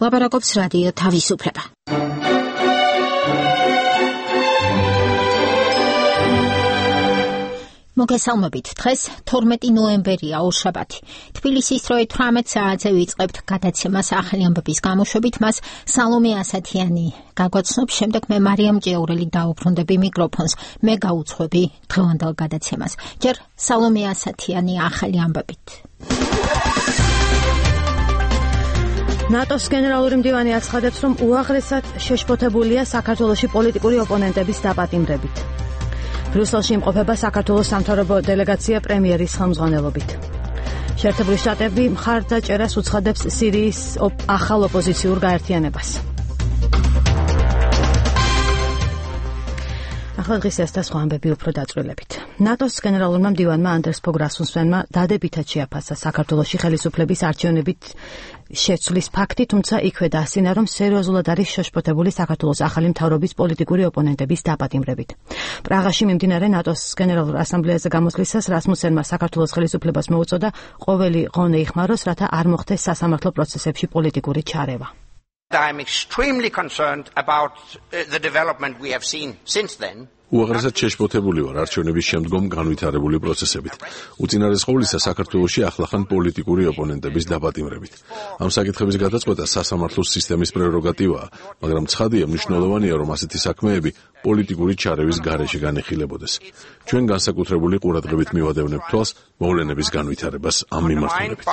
ლაპარაკობს რადიო თავისუფლება. მოგესალმებით. დღეს 12 ნოემბერია, ორშაბათი. თბილისის დროით 18 საათზე ვიწყებთ გადაცემას ახალი ამბების გამოშვებით. მას სალომე ასათიანი გაგვაცნობს, შემდეგ მე მარიამ ჭიაურელი დაუბრუნდები მიკროფონს. მე გაუძღვები დღევანდელ გადაცემას. ჯერ სალომე ასათიანი ახალი ამბებით. ნატოს გენერალური მდივანი აცხადებს, რომ უაღრესად შეშფოთებულია საქართველოში პოლიტიკური ოპონენტების დაპატიმრებით. ბრიუსელში იმყოფება საქართველოს სამთავრობო დელეგაცია პრემიერის ხელმძღვანელობით. შეერთებული შტატები მხარდაჭერას უცხადებს სირიის ახალ ოპოზიციურ გაერთიანებას. ახლა დღის ეს და სხვა ამბები უფრო დაწვრილებით. ნატოს გენერალურმა მდივანმა ანდერს ფოგ რასმუსენმა დადებითად შეაფასა საქართველოში ხელისუფლების არჩევნებით შეცვლის ფაქტი, თუმცა იქვე დაასწინა, რომ სერიოზულად არის შეშფოთებული საქართველოს ახალი მთავრობის პოლიტიკური ოპონენტების დაპატიმრებით. პრაღაში მიმდინარე ნატოს გენერალურ ასამბლეაზე გამოსვლისას რასმუსენმა საქართველოს ხელისუფლებას მოუწოდა ყოველი ღონე იხმაროს, რათა არ მოხდეს სასამართლო პროცესებში პოლიტიკური ჩარევა. I'm extremely concerned about the development we have seen since then. უაღრესად შეშფოთებული ვარ არჩევნების შემდგომ განვითარებული პროცესებით. უწინარეს ყოვლისა საქართველოში ახლახან პოლიტიკური ოპონენტების დაპატიმრებით. ამ საკითხების გადაწყვეტა სასამართლოს სისტემის პრეროგატივაა, მაგრამ ცხადია, მნიშვნელოვანია, რომ ასეთი საქმეები პოლიტიკური ჩარევის გარეშე განეხილებოდეს. ჩვენ განსაკუთრებული ყურადღებით მივადევნებთ თვალს მოვლენების განვითარებას ამ მიმართულებით.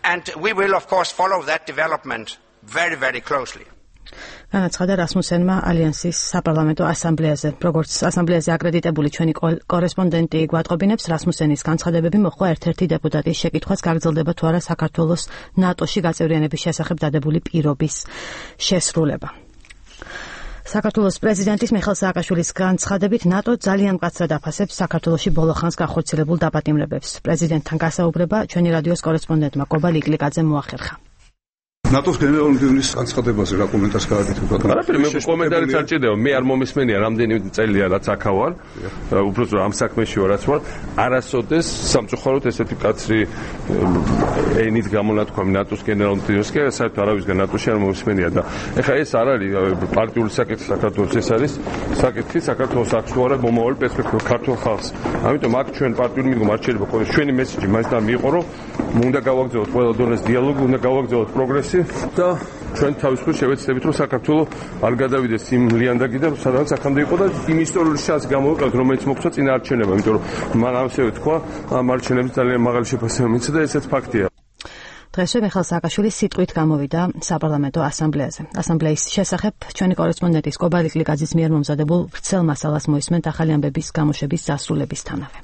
And we will of course follow that development very, very closely. განაცხადა რასმუსენმა ალიანსის საპარლამენტო ასამბლეაზე. როგორც ასამბლეაზე აკრედიტებული ჩვენი კორესპონდენტი გვატყობინებს, რასმუსენის განცხადებები მოხდა ერთ-ერთი დეპუტატის შეკითხვას, გაგრძელდება თუ არა საქართველოს ნატოში გაწევრიანების შესახებ დადებული პირობის შესრულება. საქართველოს პრეზიდენტის მიხეილ სააკაშვილის განცხადებით, ნატო ძალიან მკაცრად აფასებს საქართველოში ბოლო ხანს განხორციელებულ დაპატიმრებებს. პრეზიდენტთან გასაუბრება ჩვენი რადიოს კორესპონდენტმა კობა ლიკლიკაძემ მოახერხა. ნატოს გენერალური მდივნის განცხადებაზე რა კომენტარს გააკეთებთ? არაფერი, მე კომენტარიც არ ჭირდება. მე არ მომისმენია რამდენი წელია რაც აქ ვარ. უბრალოდ ამ საქმეში ვარ, რაც ვარ. არასოდეს სამწუხაროდ ესეთი კაცრი ენით გამონათქვამი ნატოს გენერალური მდივნის, კი საერთოდ არავისგან ნატოში არ მომისმენია და ეხლა ეს არ არის პარტიული საკითხი საქართველოს, ეს არის საკითხი საქართველოს აქტუალურ მომავალ პერსპექტივას ქართულ ხალხს. ამიტომ აქ ჩვენ პარტიული მიდგომა არ შეიძლება ყოლეს ჩვენი მესიჯი მაინც და მიიღო, რომ უნდა გავაგრძელოთ ყველა დონეს დიალოგი, უნდა გავაგრძელოთ პროგრესი და ჩვენ თავისუფლად შევეცდებით, რომ საქართველოს არ გადავიდეს იმ ლიანდაგი და სადაც აქამდე იყო და იმ ისტორიული შანსი გამოვიყენოთ, რომელიც მოგვცა წინა არჩევნებმა, იმიტომ რომ მან ასევე თქვა, ამ არჩევნებს ძალიან მაღალი შეფასება მიეცა და ესეც ფაქტია. დღესვე მიხეილ სააკაშვილი სიტყვით გამოვიდა საპარლამენტო ასამბლეაზე. ასამბლეის შესახებ ჩვენი კორესპონდენტის კობა ლიკლიკაძის მიერ მომზადებულ ვრცელ მასალას მოისმენთ ახალი ამბების გამოშვების დასრულებისთანავე.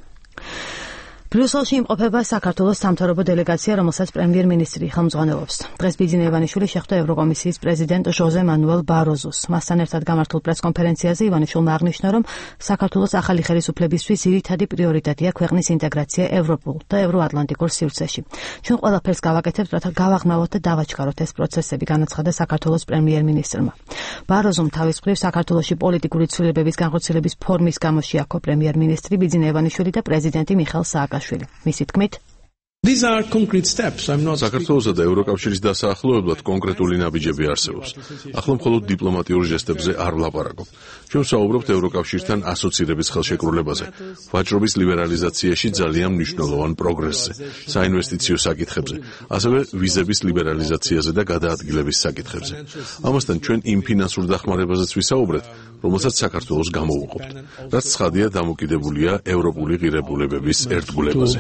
ბრიუსელში იმყოფება საქართველოს სამთავრობო დელეგაცია, რომელსაც პრემიერ-მინისტრი ხელმძღვანელობს. დღეს ბიძინა ივანიშვილი შეხვდა ევროკომისიის პრეზიდენტ ჟოზე მანუელ ბაროზოს. მასთან ერთად გამართულ პრეს-კონფერენციაზე ივანიშვილმა აღნიშნა, რომ საქართველოს ახალი ხელისუფლებისთვის ძირითადი პრიორიტეტია ქვეყნის ინტეგრაცია ევროპულ და ევროატლანტიკურ სივრცეში. ჩვენ ყველაფერს გავაკეთებთ, რათა გავაღრმავოთ და დავაჩქაროთ ეს პროცესები, განაცხადა საქართველოს პრემიერ-მინისტრმა. ბაროზომ თავის მხრივ საქართველოში პოლიტიკური ცვლილებების განხორციელების ფორმის გამო შეაქო პრემიერ-მინისტრი ბიძინა ივანიშვილი და პრეზიდენტი მიხეილ სააკაშვილი. მისი თქმით, These are concrete steps. I'm not საქართველოსა და ევროკავშირის დასაახლოებლად კონკრეტული ნაბიჯები არსებობს. ახლა მხოლოდ დიპლომატიურ ჟესტებზე არ ვლაპარაკობ. ჩვენ ვსაუბრობთ ევროკავშირთან ასოცირების ხელშეკრულებაზე, ვაჭრობის ლიბერალიზაციაში ძალიან მნიშვნელოვან პროგრესზე, საინვესტიციო საკითხებზე, ასევე ვიზების ლიბერალიზაციაზე და გადაადგილების საკითხებზე. ამასთან ჩვენ იმ ფინანსურ დახმარებაზეც ვისაუბრეთ, რომელსაც საქართველოს გამოვუყოფთ. რაც ცხადია დამოკიდებულია ევროპული ღირებულებების ერთგულებაზე.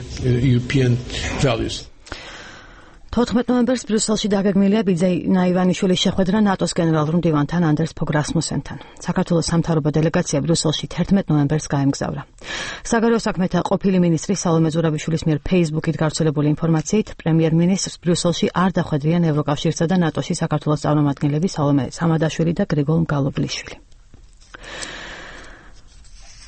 14 ნოემბერს ბრიუსელში დაგეგმილია ბიძინა ივანიშვილის შეხვედრა ნატოს გენერალურ მდივანთან ანდერს ფოგ რასმუსენთან. საქართველოს სამთავრობო დელეგაცია ბრიუსელში 11 ნოემბერს გაემგზავრა. საგარეო საქმეთა ყოფილი მინისტრი სალომე ზურაბიშვილის მიერ Facebook-ით გავრცელებული ინფორმაციით, პრემიერ-მინისტრს ბრიუსელში არ დახვედრიან ევროკავშირსა და ნატოში საქართველოს წარმომადგენლები სალომე სამადაშვილი და გრიგოლ მგალობლიშვილი.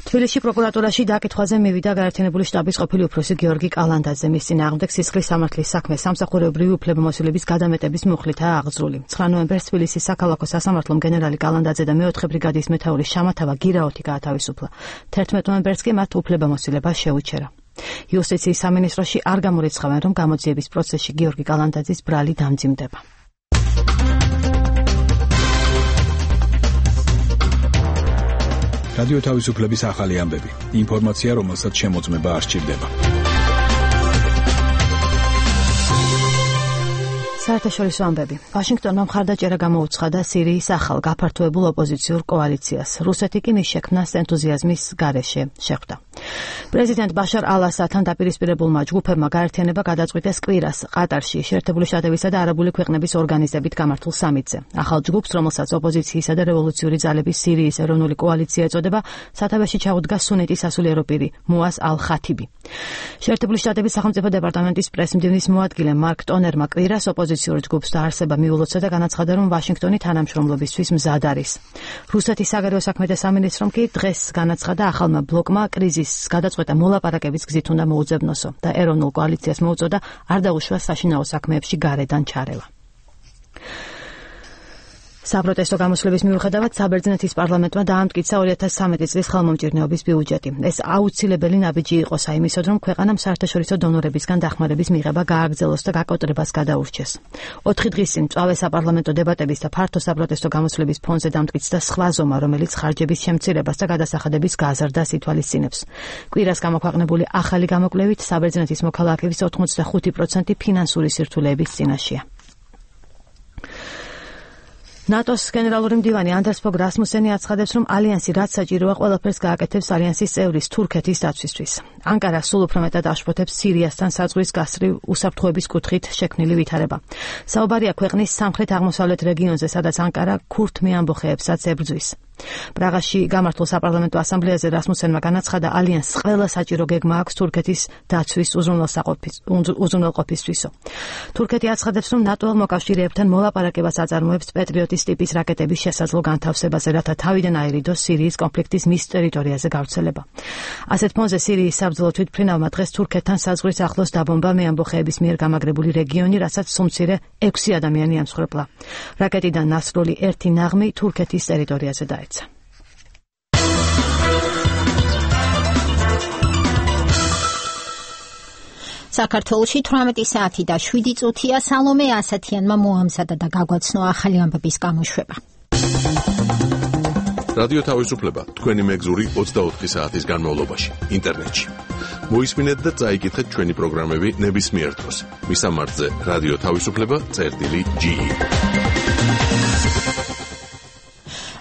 თბილისში პროკურატურაში დაკითხვაზე მივიდა გაერთიანებული შტაბის ყოფილი უფროსი გიორგი კალანდაძე. მის წინააღმდეგ სისხლის სამართლის საქმე სამსახურებრივი უფლებამოსილების გადამეტების მუხლითაა აღძრული. 9 ნოემბერს თბილისის საქალაქო სასამართლომ გენერალი კალანდაძე და მე-4 ბრიგადის მეთაური შამათავა გირაოთი გაათავისუფლა. 11 ნოემბერს კი მათ უფლებამოსილება შეუჩერა. იუსტიციის სამინისტროში არ გამორიცხავენ, რომ გამოძიების პროცესში გიორგი კალანდაძის ბრალი დამძიმდება. რადიო თავისუფლების ახალი ამბები. ინფორმაცია, რომელსაც შემოწმება არ სჭირდება. საერთაშორისო ამბები. ვაშინგტონმა მხარდაჭერა გამოუცხადა სირიის ახალ გაფართოებულ ოპოზიციურ კოალიციას. რუსეთი კი მის შექმნას ენთუზიაზმის გარეშე შეხვდა. პრეზიდენტ ბაშარ ალ-ასადთან დაპირისპირებულმა ჯგუფებმა გაერთიანება გადაწყვიტეს კვირას ყატარში შეერთებული შტატებისა და არაბული ქვეყნების ორგანიზებით გამართულ სამიტზე. ახალ ჯგუფს, რომელსაც ოპოზიციისა და რევოლუციური ძალების სირიის ეროვნული კოალიცია ეწოდება, სათავეში ჩაუდგა სუნიტის სასულიერო პირი მუას ალ-ხათიბი. შეერთებული შტატების სახელმწიფო დეპარტამენტის პრესმდივნის მოადგილე მარკ ტონერმა კვირას ოპოზიციურ ჯგუფს დაარსება მიულოცა და განაცხადა, რომ ვაშინგტონი თანამშრომლობისთვის მზად არის. რუსეთის საგარეო საქმეთა სამინისტრომ კი დღეს განაცხადა, ახალმა ბლოკმა კრიზისს გადაწყვეტა მოლაპარაკების გზით უნდა მოუძებნოსო და ეროვნულ კოალიციას მოუწოდა არ დაუშვა საშინაო საქმეებში გარედან ჩარევა. საპროტესტო გამოსვლების მიუხედავად საბერძნეთის პარლამენტმა დაამტკიცა 2013 წლის ხელმომჭირნეობის ბიუჯეტი. ეს აუცილებელი ნაბიჯი იყო საიმისოდ, რომ ქვეყანამ საერთაშორისო დონორებისგან დახმარების მიღება გააგრძელოს და გაკოტრებას გადაურჩეს. 4 დღის წინ მწვავე საპარლამენტო დებატების და ფართო საპროტესტო გამოსვლების ფონზე დამტკიცდა სხვა ზომა, რომელიც ხარჯების შემცირებას და გადასახადების გაზრდას ითვალისწინებს. კვირას გამოქვეყნებული ახალი გამოკვლევით საბერძნეთის მოქალაქეების 85% ფინანსური სირთულეების წინაშეა. ნატოს გენერალური მდივანი ანდერს ფოგ რასმუსენი აცხადებს, რომ ალიანსი რაც საჭიროა ყველაფერს გააკეთებს ალიანსის წევრის თურქეთის დაცვისთვის. ანკარა სულ უფრო მეტად აშფოთებს სირიასთან საზღვრის გასწვრივ უსაფრთხოების კუთხით შექმნილი ვითარება. საუბარია ქვეყნის სამხრეთ-აღმოსავლეთ რეგიონზე, სადაც ანკარა ქურთ მეამბოხეებსაც ებრძვის. პრაღაში გამართულ საპარლამენტო ასამბლეაზე რასმუსენმა განაცხადა, ალიანსს ყველა საჭირო გეგმა აქვს თურქეთის დაცვის უზრუნველყოფისთვისო. თურქეთი აცხადებს, რომ ნატო მოკავშირეებთან მოლაპარაკებას აწარმოებს პეტრიოტის ტიპის რაკეტების შესაძლო განთავსებაზე, რათა თავიდან აერიდოს სირიის კონფლიქტის მის ტერიტორიაზე გავრცელება. ასეთ ფონზე სირიის საბრძოლო თვითმფრინავმა დღეს თურქეთთან საზღვრის ახლოს დაბომბა მეამბოხეების მიერ გამაგრებული რეგიონი, რასაც სუმცირე 6 ადამიანი ამსხვერპლა. რაკეტიდან ნასროლი 1 ნაღმი თურქეთის ტერიტორიაზე დაეცა. საქართველოში 18 საათი და 7 წუთია. სალომე ასათიანმა მოამზადა და გაგვაცნო ახალი ამბების გამოშვება. რადიო თავისუფლება თქვენი მეგზური 24 საათის განმავლობაში ინტერნეტში. მოისმინეთ და წაიკითხეთ ჩვენი პროგრამები ნებისმიერ დროს. მისამართზე რადიო თავისუფლება.ge.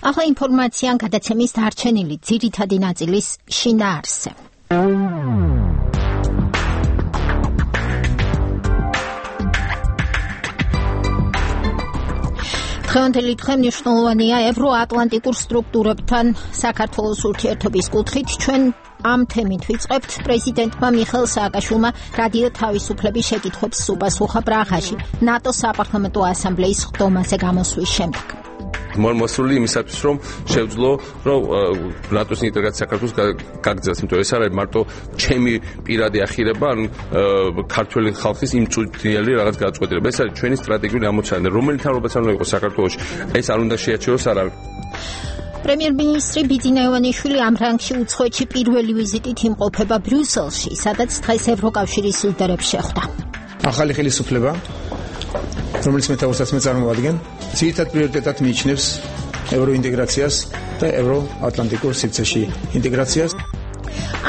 ახლა ინფორმაცია გადაცემის დარჩენილი ძირითადი ნაწილის შინაარსზე. დღევანდელი დღე მნიშვნელოვანია ევროატლანტიკურ სტრუქტურებთან საქართველოს ურთიერთობის კუთხით. ჩვენ ამ თემით ვიწყებთ პრეზიდენტმა მიხეილ სააკაშვილმა რადიო თავისუფლების შეკითხვებს უპასუხა პრაღაში ნატოს საპარლამენტო ასამბლეის ხდომაზე გამოსვლის შემდეგ. მოსული იმისათვის, რომ შევძლო, რომ ნატოს ინტეგრაცია საქართველოს გაგრძელდეს, იმიტომ ეს არ არის მარტო ჩემი პირადი ახირება, ან ქართველი ხალხის იმწუთიელი რაღაც გადაწყვეტილება. ეს არის ჩვენი სტრატეგიული ამოცანა, რომელიც თავრობას არ უნდა იყოს საქართველოში. ეს არ უნდა შეაჩეროს არავინ. პრემიერ-მინისტრი ბიძინა ივანიშვილი ამ რანგში უცხოეთში პირველი ვიზიტით იმყოფება ბრიუსელში, სადაც დღეს ევროკავშირის ლიდერებს შეხვდა. ახალი ხელისუფლება, რომელიც მეტაუსაც წარმოადგენს, ძირითად პრიორიტეტად მიიჩნევს ევროინტეგრაციას და ევროატლანტიკურ სივრცეში ინტეგრაციას.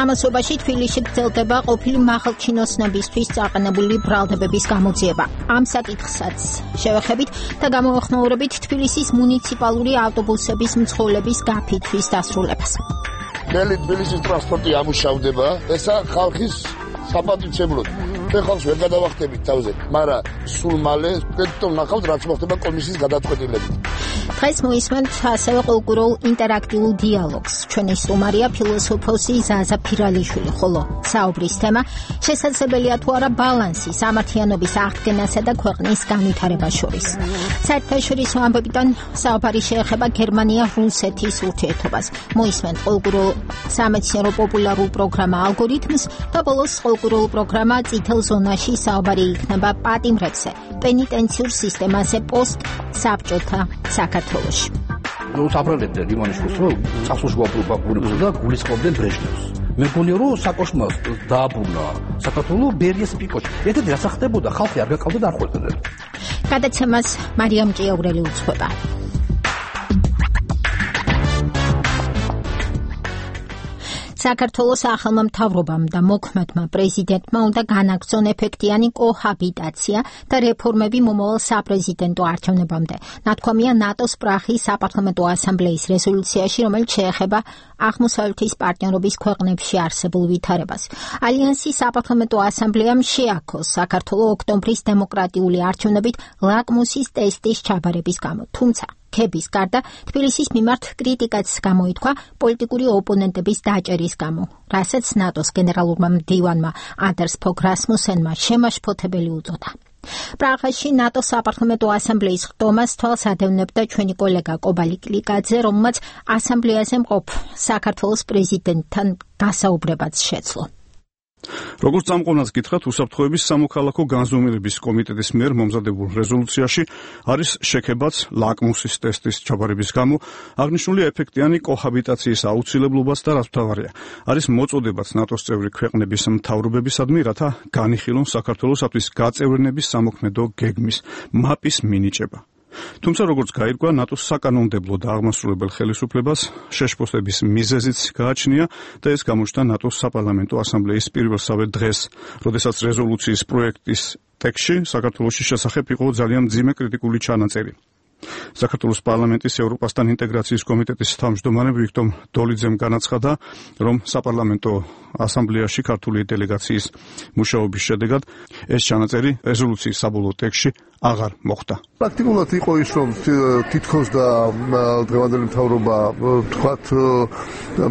ამასობაში თბილისში გრძელდება ყოფილი მაღალჩინოსნებისთვის წაყენებული ბრალდებების გამოძიება. ამ საკითხსაც შევეხებით და გამოვხმაურებით თბილისის მუნიციპალური ავტობუსების მძღოლების გაფითვის დასრულებას. ნელი თბილისის ტრანსპორტი ამუშავდება, ესა ხალხის საპატივცემლოდ. ჩვენ ხალხს ვერ გადავახტებით თავზე, მაგრამ სულ მალე თქვენ ნახავთ რაც მოხდება კომისიის გადაწყვეტილებით. დღეს მოისმენთ ასევე კულტურულ ინტერაქტიულ დიალოგს. ჩვენი სტუმარია ფილოსოფოსი ზაზა ფირალიშვილი, ხოლო საუბრის თემა შესაძლებელია თუ არა ბალანსი სამართლიანობის აღდგენასა და ქვეყნის განვითარებას შორის. საერთაშორისო ამბებიდან საუბარი შეეხება გერმანია-რუსეთის ურთიერთობას. მოისმენთ კულტურულ სამეცნიერო პოპულარულ პროგრამა ალგორითმს და ბოლოს კულტურულ პროგრამა წითელ ზონაში საუბარი იქნება პატიმრებზე, პენიტენციურ სისტემაზე პოსტ-საბჭოთა საქართველოში. უსაფრთხოებდნენ იმანიშვილს, რომ წასულში გვაპროპაგურებდა და გულისხმობდნენ ბრეჟნევს. მე მგონია რომ საკოშმას დააბრუნა საქართველოს ბერიას პიკოში. ერთად რა ხდებოდა, ხალხი არ გაკავდა და არ ხვდებოდა. გადაცემას მარიამ ჭიაურელი უძღვება. საქართველოს ახალმა მთავრობამ და მოქმედმა პრეზიდენტმა უნდა განაგრძონ ეფექტიანი კოჰაბიტაცია და რეფორმები მომავალ საპრეზიდენტო არჩევნებამდე. ნათქვამია ნატოს პრაღის საპარლამენტო ასამბლეის რეზოლუციაში, რომელიც შეეხება აღმოსავლეთის პარტნიორობის ქვეყნებში არსებულ ვითარებას. ალიანსის საპარლამენტო ასამბლეამ შეაქოს საქართველოს ოქტომბრის დემოკრატიული არჩევნებით ლაკმუსის ტესტის ჩაბარების გამო. თუმცა ქების გარდა თბილისის მიმართ კრიტიკაც გამოითქვა პოლიტიკური ოპონენტების დაჭერის გამო, რასაც ნატოს გენერალურმა მდივანმა ანდერს ფოგ რასმუსენმა შემაშფოთებელი უწოდა. პრაღაში ნატოს საპარლამენტო ასამბლეის ხდომას თვალს ადევნებდა ჩვენი კოლეგა კობალი კლიკაძე, რომელმაც ასამბლეაზე მყოფ საქართველოს პრეზიდენტთან გასაუბრებაც შეძლო. როგორც წამყვანას გითხრათ, უსაფრთხოების სამოქალაქო განზომილების კომიტეტის მიერ მომზადებულ რეზოლუციაში არის შექებაც ლაკმუსის ტესტის ჩაბარების გამო, აღნიშნულია ეფექტიანი კოჰაბიტაციის აუცილებლობაც და რაც მთავარია, არის მოწოდებაც ნატოს წევრი ქვეყნების მთავრობებისადმი, რათა განიხილონ საქართველოსთვის გაწევრიანების სამოქმედო გეგმის მაპის მინიჭება. თუმცა როგორც გაირკვა, ნატოს საკანონმდებლო და აღმასრულებელ ხელისუფლებას შეშფოთების მიზეზიც გააჩნია და ეს გამოჩნდა ნატოს საპარლამენტო ასამბლეის პირველსავე დღეს, როდესაც რეზოლუციის პროექტის ტექსტში საქართველოს შესახებ იყო ძალიან მძიმე კრიტიკული ჩანაწერი. საქართველოს პარლამენტის ევროპასთან ინტეგრაციის კომიტეტის თავმჯდომარე ვიქტორ დოლიძემ განაცხადა, რომ საპარლამენტო ასამბლეაში ქართული დელეგაციის მუშაობის შედეგად ეს ჩანაწერი რეზოლუციის საბოლოო ტექსტში აღარ მოხვდა. პრაქტიკულად იყო ის, რომ თითქოს და დღევანდელი მთავრობა თქვათ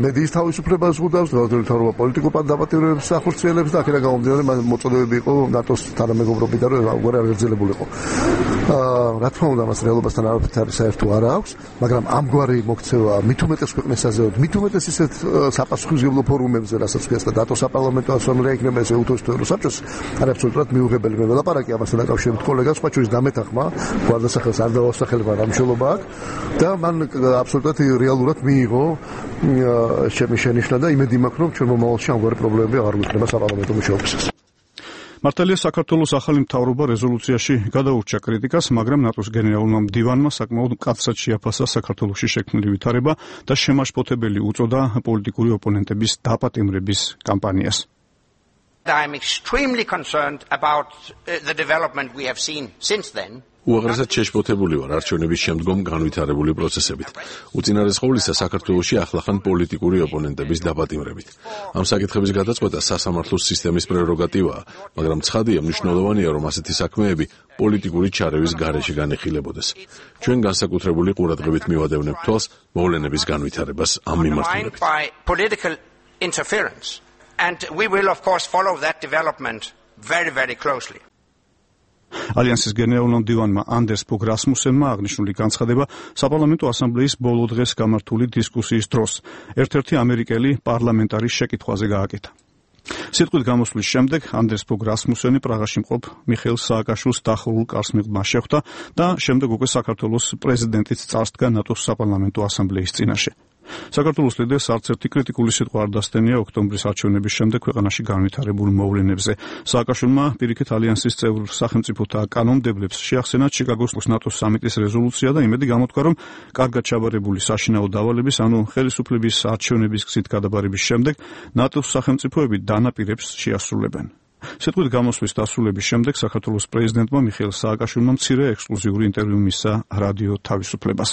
მედიის თავისუფლებას ზღუდავს, დღევანდელი მთავრობა პოლიტიკურ დაპატიმრებებს ახორციელებს და აქედან გამომდინარე მოწოდებები იყო ნატოს თანამეგობრობიდან, რომ აღარ აღერძელებულიყო. რა თქმა უნდა, მას რეალობასთან არაფერი საერთო არ აქვს, მაგრამ ამგვარი მოქცევა მით უმეტეს ქვეყნებს საზეოდ, მით უმეტეს ისეთ საპასუხისმგებლო ფორუმებზე, რასაც ქვია ნატოს საპარლამენტო ასამბლეა იქნება ესე უთოს ევროსაბჭოს, არის აბსოლუტურად მიუღებელი. მე ველაპარაკი ამასთან დაკავშირებით კოლეგას, სხვა ჩვენს დამეთახმა, გვარდასახელს არ დავასახელება რა მშელობა აქვს და მან აბსოლუტურად რეალურად მიიღო ჩემი შენიშვნა და იმედი მაქვს, რომ ჩვენ მომავალში ამგვარი პრობლემები აღარ გვექნება საპარლამენტო მუშაობისას. მართალია საქართველოს ახალი მთავრობა რეზოლუციაში გადაურჩა კრიტიკას, მაგრამ ნატოს გენერალურმა მდივანმა საკმაოდ მკაცრად შეაფასა საქართველოში შექმნილი ვითარება და შემაშფოთებელი უწოდა პოლიტიკური ოპონენტების დაპატიმრების კამპანიას. I'm extremely concerned about the development we have seen since then. უაღრესად შეშფოთებული ვარ არჩევნების შემდგომ განვითარებული პროცესებით. უწინარეს ყოვლისა საქართველოში ახლახან პოლიტიკური ოპონენტების დაპატიმრებით. ამ საკითხების გადაწყვეტა სასამართლოს სისტემის პრეროგატივაა, მაგრამ ცხადია მნიშვნელოვანია, რომ ასეთი საქმეები პოლიტიკური ჩარევის გარეშე განეხილებოდეს. ჩვენ განსაკუთრებული ყურადღებით მივადევნებთ თვალს მოვლენების განვითარებას ამ მიმართულებით. And we will of course follow that development very, very closely. ალიანსის გენერალურმა მდივანმა ანდერს ფოგ რასმუსენმა აღნიშნული განცხადება საპარლამენტო ასამბლეის ბოლო დღეს გამართული დისკუსიის დროს ერთ-ერთი ამერიკელი პარლამენტარის შეკითხვაზე გააკეთა. სიტყვით გამოსვლის შემდეგ ანდერს ფოგ რასმუსენი პრაღაში მყოფ მიხეილ სააკაშვილს დახურულ კარს მიღმა შეხვდა და შემდეგ უკვე საქართველოს პრეზიდენტიც წარსდგა ნატოს საპარლამენტო ასამბლეის წინაშე. საქართველოს ლიდერს არც ერთი კრიტიკული სიტყვა არ დასთენია ოქტომბრის არჩევნების შემდეგ ქვეყანაში განვითარებულ მოვლენებზე. სააკაშვილმა პირიქით ალიანსის წევრ სახელმწიფოთა კანონმდებლებს შეახსენა ჩიკაგოს ნატოს სამიტის რეზოლუცია და იმედი გამოთქვა, რომ კარგად ჩაბარებული საშინაო დავალების, ანუ ხელისუფლების არჩევნების გზით გადაბარების შემდეგ ნატოს სახელმწიფოები დანაპირებს შეასრულებენ. სიტყვით გამოსვლის დასრულების შემდეგ საქართველოს პრეზიდენტმა მიხეილ სააკაშვილმა მცირე ექსკლუზიური ინტერვიუ მისცა რადიო თავისუფლებას.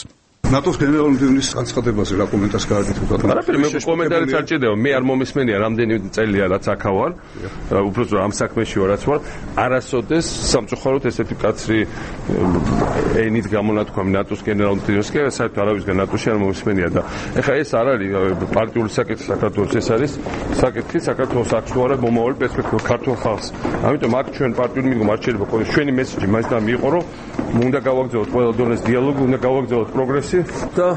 ნატოს გენერალური მდივნის განცხადებაზე რა კომენტარს გააკეთებთ? არაფერი, მე კომენტარიც არ ჭირდება. მე არ მომისმენია რამდენი წელია რაც აქა ვარ. უბრალოდ ამ საქმეში ვარაც ვარ. არასოდეს სამწუხაროდ ესეთი კაცრი ენით გამონათქვამი ნატოს გენერალურ მდივანს კი საერთოდ არავისგან ნატოში არ მომისმენია და ეხლა ეს არ არის პარტიული საკითხი საქართველოს, ეს არის საკითხი საქართველოს აქვს თუ არა მომავალი პერსპექტივა ქართულ ხალხს. ამიტომ აქ ჩვენ პარტიული მიდგომა არ შეიძლება ყოლეს ჩვენი მესიჯი მაინც და მიიღო, რომ უნდა გავაგრძელოთ ყველა დონეს დიალოგი, უნდა გავაგრძელოთ პროგრესი და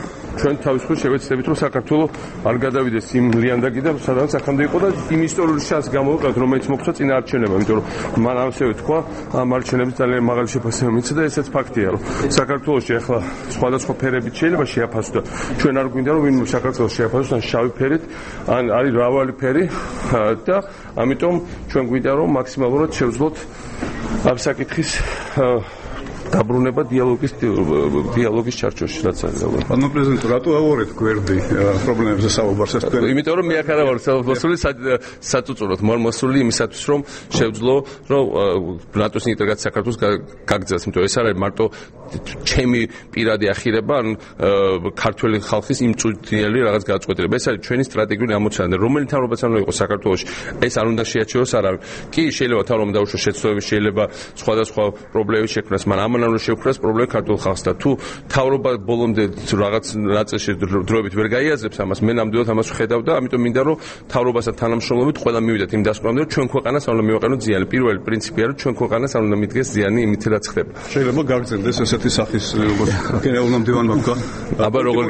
ჩვენ თავისუფლად შევეცდებით, რომ საქართველოს არ გადავიდეს იმ ლიანდაგიდან, სადაც აქამდე იყო და იმ ისტორიული შანსს გამოვიყენოთ, რომელიც მოგვცა წინა არჩევნებმა, იმიტომ რომ მან ასევე თქვა, ამ არჩევნებს ძალიან მაღალი შეფასება მიეცა და ესეც ფაქტია, რომ საქართველოში ახლა სხვადასხვა ფერებით შეიძლება შეაფასოს და ჩვენ არ გვინდა რომ ვინმე საქართველოს შეაფასოს ან შავი ფერით, ან არის მრავალი ფერი და ამიტომ ჩვენ გვინდა რომ მაქსიმალურად შევძლოთ ამ საკითხის დაბრუნება დიალოგის ჩარჩოში, რაც არის. ანუ პრეზიდენტ, რატო ავორეთ გვერდი პრობლემებზე საუბარს ეს თქვენ? იმიტომ რომ მე აქ არა ვარ მოსული საწუწუროთ, მოსული იმისათვის რომ შევძლო, რომ ნატოს ინტეგრაცია საქართველოს გაგრძელს, იმიტომ ეს არ არის მარტო ჩემი პირადი ახირება, ან ქართველი ხალხის იმწუთიელი რაღაც გადაწყვეტილება. ეს არის ჩვენი სტრატეგიული ამოცანა, რომელიც თავრობაც არ უნდა იყოს საქართველოში. ეს არ უნდა შეაჩეროს არავინ. კი, შეიძლება თავრობამ დაუშვოს შეცდომები, შეიძლება სხვადასხვა პრობლემები შექმნას, მაგრამ ამან უნდა შეუქმნას პრობლემა ქართულ ხალხს და თუ თავრობა ბოლომდე რაღაც ნაწილში დროებით ვერ გაიაზრებს ამას, მე ნამდვილად ამას ვხედავ და ამიტომ მინდა რომ თავრობასთან თანამშრომლობით ყველა მივიდეთ იმ დასკვნამდე, რომ ჩვენ ქვეყანას არ უნდა მივაყენოთ ზიანი. პირველი პრინციპია, რომ ჩვენ ქვეყანას არ უნდა მიდგეს ზიანი იმით, რაც ხდება. შეიძლება გაგრძელდეს ესეთი სახის როგორც გენერალურმა მდივანმა თქვა. აბა როგორ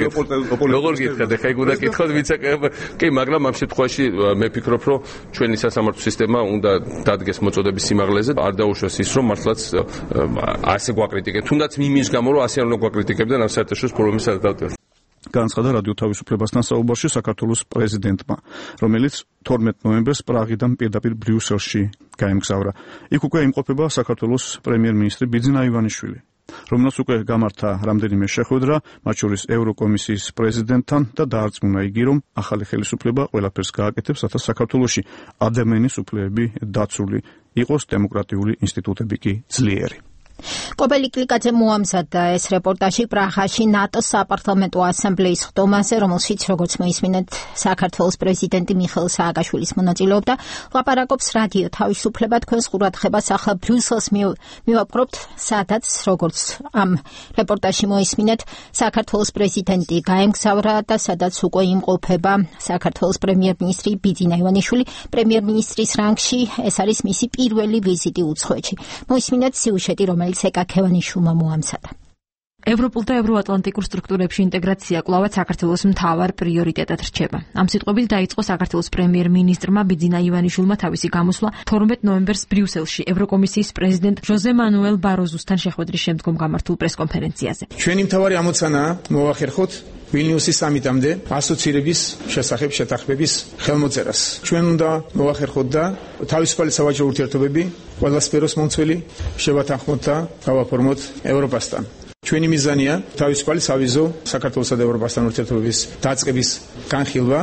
გითხართ, ეხა იქ უნდა კითხოთ ვიცაკება. კი, მაგრამ ამ შემთხვევაში მე ფიქრობ, რომ ჩვენი სასამართლო სისტემა უნდა დადგეს მოწოდების სიმაღლეზე, არ დაუშვას ის, რომ მართლაც ასე გვაკრიტიკებთ. თუნდაც იმის გამო, რომ ასე არ უნდა გვაკრიტიკებდნენ ამ საერთაშორისო პრობლემის გადაწყვეტილებას. განცხადა რადიო თავისუფლებასთან საუბარში საქართველოს პრეზიდენტმა, რომელიც 12 ნოემბერს პრაღიდან პირდაპირ ბრიუსელში გაემგზავრა. იქ უკვე იმყოფება საქართველოს პრემიერ-მინისტრი ბიძინა ივანიშვილი, რომელსაც უკვე გამართა რამდენიმე შეხვედრა, მათ შორის ევროკომისიის პრეზიდენტთან და დაარწმუნა იგი, რომ ახალი ხელისუფლება ყველაფერს გააკეთებს, რათა საქართველოში ადამიანის უფლებები დაცული იყოს, დემოკრატიული ინსტიტუტები კი ძლიერი. კობელი კლიკაძე მოამზადა ეს რეპორტაჟი პრაღაში ნატოს საპარლამენტო ასამბლეის ხდომაზე, რომელშიც როგორც მოისმინეთ, საქართველოს პრეზიდენტი მიხეილ სააკაშვილის მონაწილეობდა. ლაპარაკობს რადიო თავისუფლება, თქვენს ყურადღებას ახლა ბრიუსელს მივაპყრობთ, სადაც როგორც ამ რეპორტაჟში მოისმინეთ, საქართველოს პრეზიდენტი გაემგზავრა და სადაც უკვე იმყოფება საქართველოს პრემიერ-მინისტრი ბიძინა ივანიშვილი. პრემიერ-მინისტრის რანგში ეს არის მისი პირველი ვიზიტი უცხოეთში. მოისმინეთ სიუჟეტი, რომელიც ეკაქევანიშვილმა მოამზადა. ევროპულ და ევროატლანტიკურ სტრუქტურებში ინტეგრაცია კვლავაც საქართველოს მთავარ პრიორიტეტად რჩება. ამ სიტყვებით დაიწყო საქართველოს პრემიერ-მინისტრმა ბიძინა ივანიშვილმა თავისი გამოსვლა 12 ნოემბერს ბრიუსელში ევროკომისიის პრეზიდენტ ჟოზე მანუელ ბაროზუსთან შეხვედრის შემდგომ გამართულ პრესკონფერენციაზე. ჩვენი მთავარი ამოცანაა მოვახერხოთ ვილნიუსის სამიტამდე ასოცირების შესახებ შეთანხმების ხელმოწერას. ჩვენ უნდა მოვახერხოთ და თავისუფალი სავაჭრო ურთიერთობები ყველა სფეროს მომცველი შევათანხმოთ და გავაფორმოთ ევროპასთან. ჩვენი მიზანია თავისუფალი სავიზო საქართველოსა და ევროპასთან ურთიერთობების დაწყების განხილვა.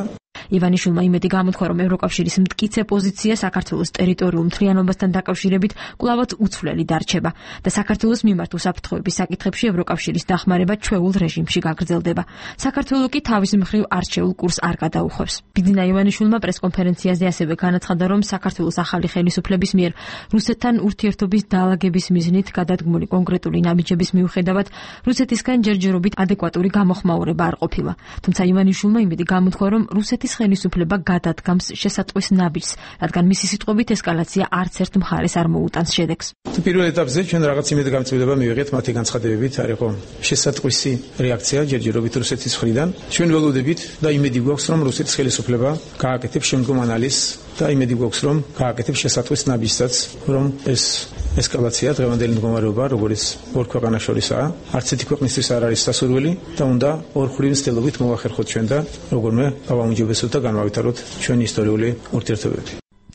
ივანიშვილმა იმედი გამოთქვა, რომ ევროკავშირის მტკიცე პოზიცია საქართველოს ტერიტორიულ მთლიანობასთან დაკავშირებით კვლავაც უცვლელი დარჩება და საქართველოს მიმართ უსაფრთხოების საკითხებში ევროკავშირის დახმარება ჩვეულ რეჟიმში გაგრძელდება. საქართველო კი თავის მხრივ არჩეულ კურსს არ გადაუხვევს. ბიძინა ივანიშვილმა პრესკონფერენციაზე ასევე განაცხადა, რომ საქართველოს ახალი ხელისუფლების მიერ რუსეთთან ურთიერთობის დაალაგების მიზნით გადადგმული კონკრეტული ნაბიჯების მიუხედავად რუსეთისგან ჯერჯერობით ადეკვატური გამოხმაურება არ ყოფილა. თუმცა ივანიშვილმა იმედი გამოთქვა, რომ რუსეთის ხელისუფლება გადადგამს შესატყვის ნაბიჯს, რადგან მისი სიტყვებით ესკალაცია არც ერთ მხარეს არ მოუტანს შედეგს. პირველ ეტაპზე ჩვენ რაღაც იმედგამწვევა მივიღეთ მათი განცხადებებით, არ იყო შესატყვისი რეაქცია ჯერჯერობით რუსეთის მხრიდან. ჩვენ ველოდებით და იმედი გვაქვს, რომ რუსეთის ხელისუფლება გააკეთებს შემდგომ ანალიზს და იმედი გვაქვს, რომ გააკეთებს შესატყვის ნაბიჯსაც, რომ ეს ესკალაცია დღევანდელი მდგომარეობა, როგორც ორ ქვეყანას შორისაა, არც ერთი ქვეყნისთვის არ არის სასურველი და უნდა ორხრივი მცდელობით მოვახერხოთ ჩვენ და როგორმე გავაუმჯობესოთ და განავითაროთ ჩვენი ისტორიული ურთიერთობები.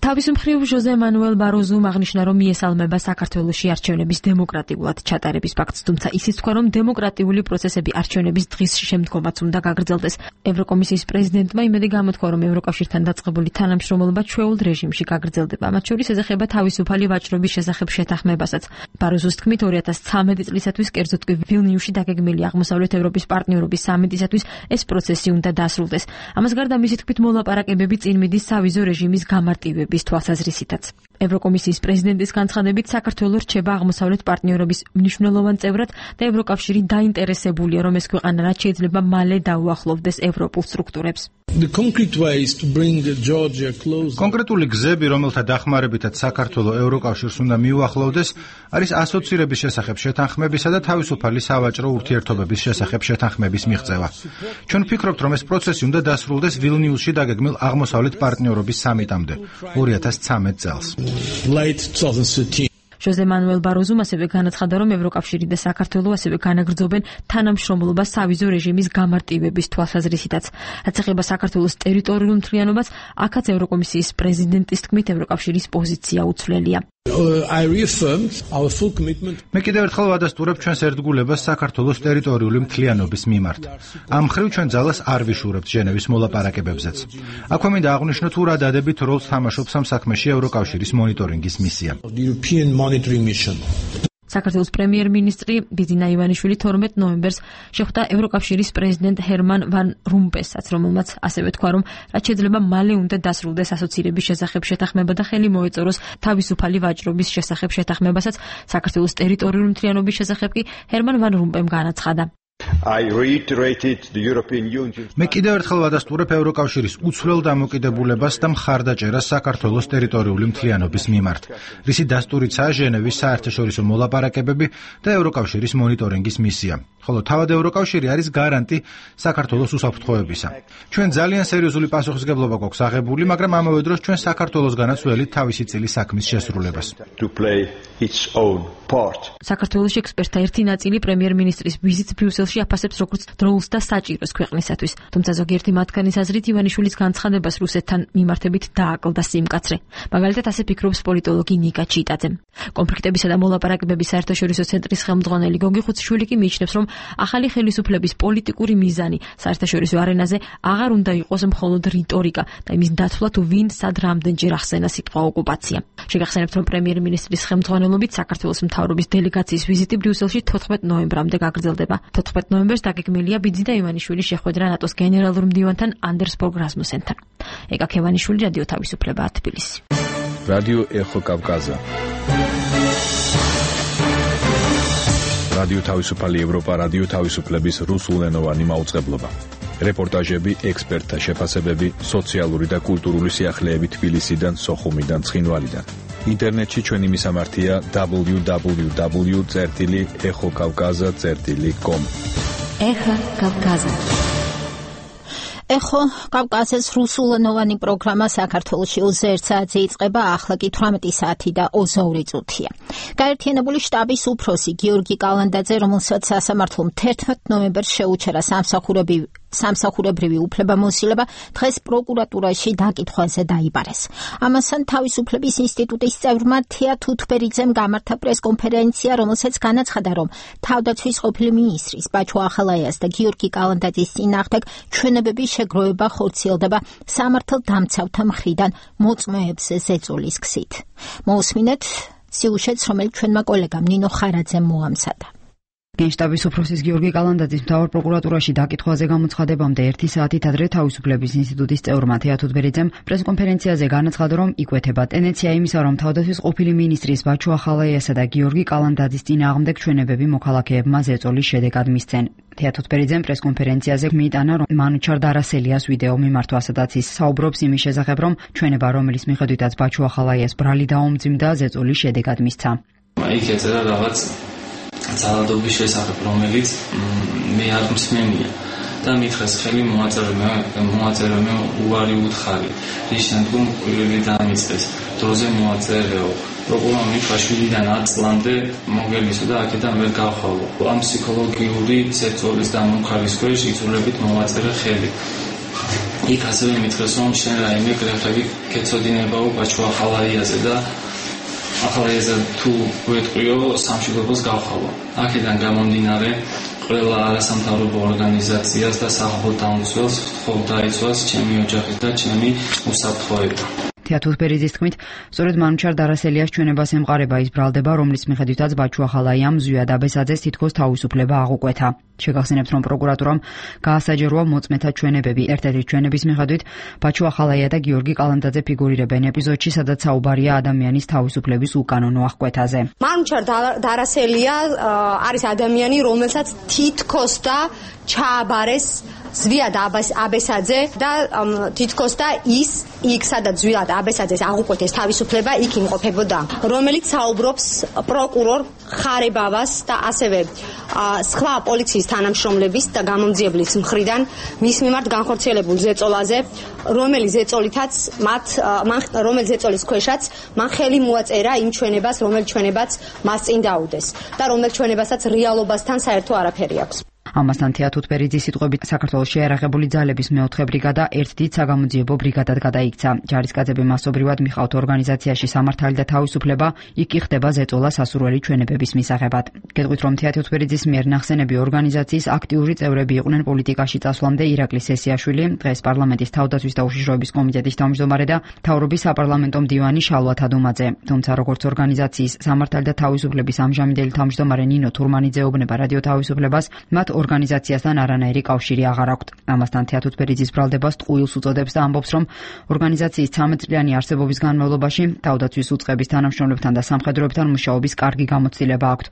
თავის მხრივ ჟოზე მანუელ ბაროზუმ აღნიშნა, რომ მიესალმება საქართველოში არჩევნების დემოკრატიულად ჩატარების ფაქტს, თუმცა ისიც თქვა, რომ დემოკრატიული პროცესები არჩევნების დღის შემდგომაც უნდა გაგრძელდეს. ევროკომისიის პრეზიდენტმა იმედი გამოთქვა, რომ ევროკავშირთან დაწყებული თანამშრომლობა ჩვეულ რეჟიმში გაგრძელდება. მათ შორის ეზეხება თავისუფალი ვაჭრობის შესახებ შეთანხმებასაც. ბაროზუს თქმით, 2013 წლისათვის, კერძოდ კი ვილნიუსში დაგეგმილი აღმოსავლეთ ევროპის პარტნიორობის სამიტისათვის ეს პროცესი უნდა დასრულდეს. ამას გარდა მისი თქმით, მოლაპარაკებები წინ მიდის სავიზო რეჟიმის გამარტივების თვალსაზრისითაც. ევროკომისიის პრეზიდენტის განცხადებით საქართველო რჩება აღმოსავლეთ პარტნიორობის მნიშვნელოვან წევრად და ევროკავშირი დაინტერესებულია, რომ ეს ქვეყანა რაც შეიძლება მალე დაუახლოვდეს ევროპულ სტრუქტურებს. კონკრეტული გზები, რომელთა დახმარებითაც საქართველო ევროკავშირს უნდა მიუახლოვდეს, არის ასოცირების შესახებ შეთანხმებისა და თავისუფალი სავაჭრო ურთიერთობების შესახებ შეთანხმების მიღწევა. ჩვენ ვფიქრობთ, რომ ეს პროცესი უნდა დასრულდეს ვილნიუსში დაგეგმილ აღმოსავლეთ პარტნიორობის სამიტამდე 2013 წელს. ჟოზე მანუელ ბაროზუმ ასევე განაცხადა, რომ ევროკავშირი და საქართველო ასევე განაგრძობენ თანამშრომლობას სავიზო რეჟიმის გამარტივების თვალსაზრისითაც. რაც ეხება საქართველოს ტერიტორიულ მთლიანობას, აქაც ევროკომისიის პრეზიდენტის თქმით ევროკავშირის პოზიცია უცვლელია. მე კიდევ ერთხელ ვადასტურებ ჩვენს ერთგულებას საქართველოს ტერიტორიული მთლიანობის მიმართ. ამ მხრივ ჩვენ ძალას არ ვიშურებთ ჟენევის მოლაპარაკებებზეც. აქვე მინდა აღვნიშნოთ, თუ რა დადებით როლს თამაშობს ამ საქმეში ევროკავშირის მონიტორინგის მისია. საქართველოს პრემიერ-მინისტრი ბიზინა ივანიშვილი 12 ნოემბერს შეხვდა ევროკავშირის პრეზიდენტ ჰერმან ვან რომპესაც, რომელმაც ასევე თქვა, რომ რაც შეიძლება მალე უნდა დასრულდეს ასოცირების შესახებ შეთანხმება და ხელი მოეწოროს თავისუფალი ვაჭრობის შესახებ შეთანხმებასაც. საქართველოს ტერიტორიული მთლიანობის შესახებ კი ჰერმან ვან რომპემ განაცხადა. მე კიდევ ერთხელ ვადასტურებ ევროკავშირის უცვლელ დამოკიდებულებას და მხარდაჭერას საქართველოს ტერიტორიული მთლიანობის მიმართ, რისი დასტურიცაა ჟენევის საერთაშორისო მოლაპარაკებები და ევროკავშირის მონიტორინგის მისია. ხოლო თავად ევროკავშირი არის გარანტი საქართველოს უსაფრთხოებისა. ჩვენ ძალიან სერიოზული პასუხისგებლობა გვაქვს აღებული, მაგრამ ამავე დროს ჩვენ საქართველოსგანაც ველით თავისი წილის საქმის შესრულებას. საქართველოში ექსპერტთა ერთი ნაწილი პრემიერ-მინისტრის ვიზიტს ბრიუსელში აფასებს როგორც დროულს და საჭიროს ქვეყნისათვის. თუმცა ზოგიერთი მათგანის აზრით ივანიშვილის განცხადებას რუსეთთან მიმართებით დააკლდა სიმკაცრე. მაგალითად ასე ფიქრობს პოლიტოლოგი ნიკა ჩიტაძე. კონფლიქტებისა და მოლაპარაკებების საერთაშორისო ცენტრის ხელმძღვანელი გოგი ხუციშვილი კი მიიჩნევს, რომ ახალი ხელისუფლების პოლიტიკური მიზანი საერთაშორისო არენაზე აღარ უნდა იყოს მხოლოდ რიტორიკა და იმის დათვლა, თუ ვინ სად რამდენჯერ ახსენა სიტყვა ოკუპაცია. შეგახსენებთ, რომ პრემიერ-მინისტრის ხელმძღვანელობით საქართველოს მთავრობის დელეგაციის ვიზიტი ბრიუსელში 14 ნოემბრამდე გაგრძელდება. 14 ნოემბერს დაგეგმილია ბიძინა ივანიშვილის შეხვედრა ნატოს გენერალურ მდივანთან anders Fogh Rasmussenთან. ეკა ქევანიშვილი, რადიო თავისუფლება, თბილისი. რადიო ეხო კავკაზა. რადიო თავისუფალი ევროპა, რადიო თავისუფლების რუსულენოვანი მაუწყებლობა. რეპორტაჟები, ექსპერტთა შეფასებები, სოციალური და კულტურული სიახლეები თბილისიდან, სოხუმიდან, ცხინვალიდან. ინტერნეტში ჩვენი მისამართია www.ეხოკავკაზა.com. ეხა კავკაზა. ეხო კავკაზის რუსულენოვანი პროგრამა საქართველოში 21 საათზე იწყება, ახლა კი 18 საათი და 22 წუთია. გაერთიანებული შტაბის უფროსი გიორგი კალანდაძე, რომელსაც სასამართლომ 11 ნოემბერს შეუჩერა სამსახურებრივი უფლებამოსილება, დღეს პროკურატურაში დაკითხვაზე დაიბარეს. ამასთან თავისუფლების ინსტიტუტის წევრმა თეა თუთბერიძემ გამართა პრესკონფერენცია, რომელსაც განაცხადა, რომ თავდაცვის ყოფილი მინისტრის ბაჩო ახალაიას და გიორგი კალანდაძის წინააღმდეგ ჩვენებების შეგროვება ხორციელდება სამართალდამცავთა მხრიდან მოწმეებზე ზეწოლის გზით. მოусმინეთ სიუჟეტს, რომელიც ჩვენმა კოლეგამ ნინო ხარაძემ მოამზადა. გენშტაბის უფროსის გიორგი კალანდაძის მთავარ პროკურატურაში დაკითხვაზე გამოცხადებამდე 1 საათით ადრე თავისუფლების ინსტიტუტის წევრმა თეა თუთბერიძემ პრესკონფერენციაზე განაცხადა, რომ იკვეთება ტენდენცია იმისა, რომ თავდაცვის ყოფილი მინისტრის ბაჩო ახალაიასა და გიორგი კალანდაძის წინააღმდეგ ჩვენებები მოქალაქეებმა ზეწოლის შედეგად მისცენ. თეა თუთბერიძემ პრესკონფერენციაზე მიიტანა, რომ მანუჩარ დარასელიას ვიდეო მიმართვა, სადაც ის საუბრობს იმის შესახებ, რომ ჩვენება, რომლის მიხედვითაც ბაჩო ახალაიას ბრალი დაუმძიმდა, ზეწოლის შედეგად მისცა. იქ ეწერა რაღაც ძალადობის შესახებ, რომელიც მე არ მსმენია და მითხრეს ხელი მოაწერე მე უარი უთხარი, რის შემდგომ კვირილი დამიწყეს, დროზე მოაწერეო, პროკურორ მიხაშვილიდან 10 წლამდე მოგელისო და აქედან ვერ გავხვალო. ამ ფსიქოლოგიური ზეწოლის და მომხარის ქვეშ იწულებით მოვაწერე ხელი. იქ ასევე მითხრეს, რომ შენ რაიმე გრეხები კეცოდინებაო ბაჩო ახალაიაზე და ახალაიაზე თუ გვეტყვიო სამშობლოს გავხვალო. აქედან გამომდინარე ყველა არასამთავრობო ორგანიზაციას და სახალხო დამცველს ხომ დაიცვას ჩემი ოჯახის და ჩემი უსაფრთხოება. თეათურბერიძის თქმით, სწორედ მანუჩარ დარასელიას ჩვენებას ემყარება ის ბრალდება, რომლის მიხედვითაც ბაჩუ ახალაიამ ზვიად აბესაძეს თითქოს თავისუფლება აღუკვეთა. შეგახსენებთ, რომ პროკურატურამ გაასაჯაროა მოწმეთა ჩვენებები. ერთ-ერთი ჩვენების მიხედვით ბაჩუ ახალაია და გიორგი კალანდაძე ფიგურირებენ ეპიზოდში, სადაც საუბარია ადამიანის თავისუფლების უკანონო აღკვეთაზე. მანუჩარ დარასელია არის ადამიანი, რომელსაც თითქოს და ჩააბარეს ზვიად აბესაძე და თითქოს და ის იქ სადაც ზვიად აბესაძეს აღუკვეთეს თავისუფლება იქ იმყოფებოდა, რომელიც საუბრობს პროკურორ ხარებავას და ასევე სხვა პოლიციის თანამშრომლების და გამომძიებლის მხრიდან მის მიმართ განხორციელებულ ზეწოლაზე, რომელიც ზეწოლის ქვეშაც მან ხელი მოაწერა იმ ჩვენებას, რომელიც ჩვენებაც მას წინ დაუდეს და რომელიც ჩვენებასაც რეალობასთან საერთო არაფერი აქვს. ამასთან თეათურბერიძის სიტყვებით საქართველოს შეიარაღებული ძალების მეოთხე ბრიგადა ერთ დიდ საგამოძიებო ბრიგადად გადაიქცა. ჯარისკაცები მასობრივად მიხავთ ორგანიზაციაში სამართალი და თავისუფლება, იქ კი ხდება ზეწოლა სასურველი ჩვენებების მისაღებად. გეტყვით, რომ თეათურბერიძის მიერ ნახსენები ორგანიზაციის აქტიური წევრები იყვნენ პოლიტიკაში წასვლამდე ირაკლი სესიაშვილი, დღეს პარლამენტის თავდაცვის და უშიშროების კომიტეტის თავმჯდომარე და მთავრობის საპარლამენტო მდივანი შალვა თადუმაძე. თუმცა როგორც ორგანიზაციის სამართალი და თავისუფლების ამჟამინდელი თავმჯდომარე ნინო თურმანიძე ეუბნება რადიო თავისუფლებას, მათ ორგანიზაციასთან არანაირი კავშირი აღარ აქვთ. ამასთან თეათურბერიძის ბრალდებას ტყუილს უწოდებს და ამბობს, რომ ორგანიზაციის 13 წლიანი არსებობის განმავლობაში თავდაცვის უწყების თანამშრომლებთან და სამხედროებთან მუშაობის კარგი გამოცდილება აქვთ.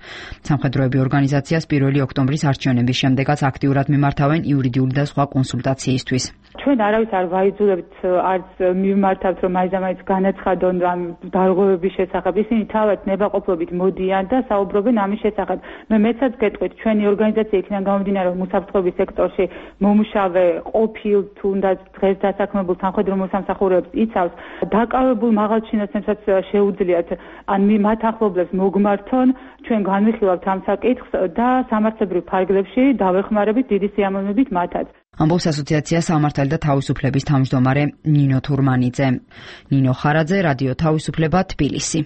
სამხედროები ორგანიზაციას 1 ოქტომბრის არჩევნების შემდეგაც აქტიურად მიმართავენ იურიდიული და სხვა კონსულტაციისთვის. ჩვენ არავის არ ვაიძულებთ, არც მიმართავთ, რომ მაინც განაცხადონ ამ დარღვევების შესახებ. ისინი თავად ნებაყოფლობით მოდიან და საუბრობენ ამის შესახებ. მეცაც გეტყვით, ჩვენი ორგანიზაცია იქიდან გამომდინარე, რომ უსაფრთხოების სექტორში მომუშავე ყოფილ თუნდაც დღეს დასაქმებულ სამხედრო მოსამსახურეებს იცავს, დაკავებულ მაღალჩინოსნებსაც შეუძლიათ ან მათ ახლობლებს მოგმართონ, ჩვენ განვიხილავთ ამ საკითხს და სამართლებრივ ფარგლებში დავეხმარებით დიდი სიამოვნებით მათაც. ამბობს ასოციაცია სამართალი და თავისუფლების თავმჯდომარე ნინო თურმანიძე. ნინო ხარაძე, რადიო თავისუფლება, თბილისი.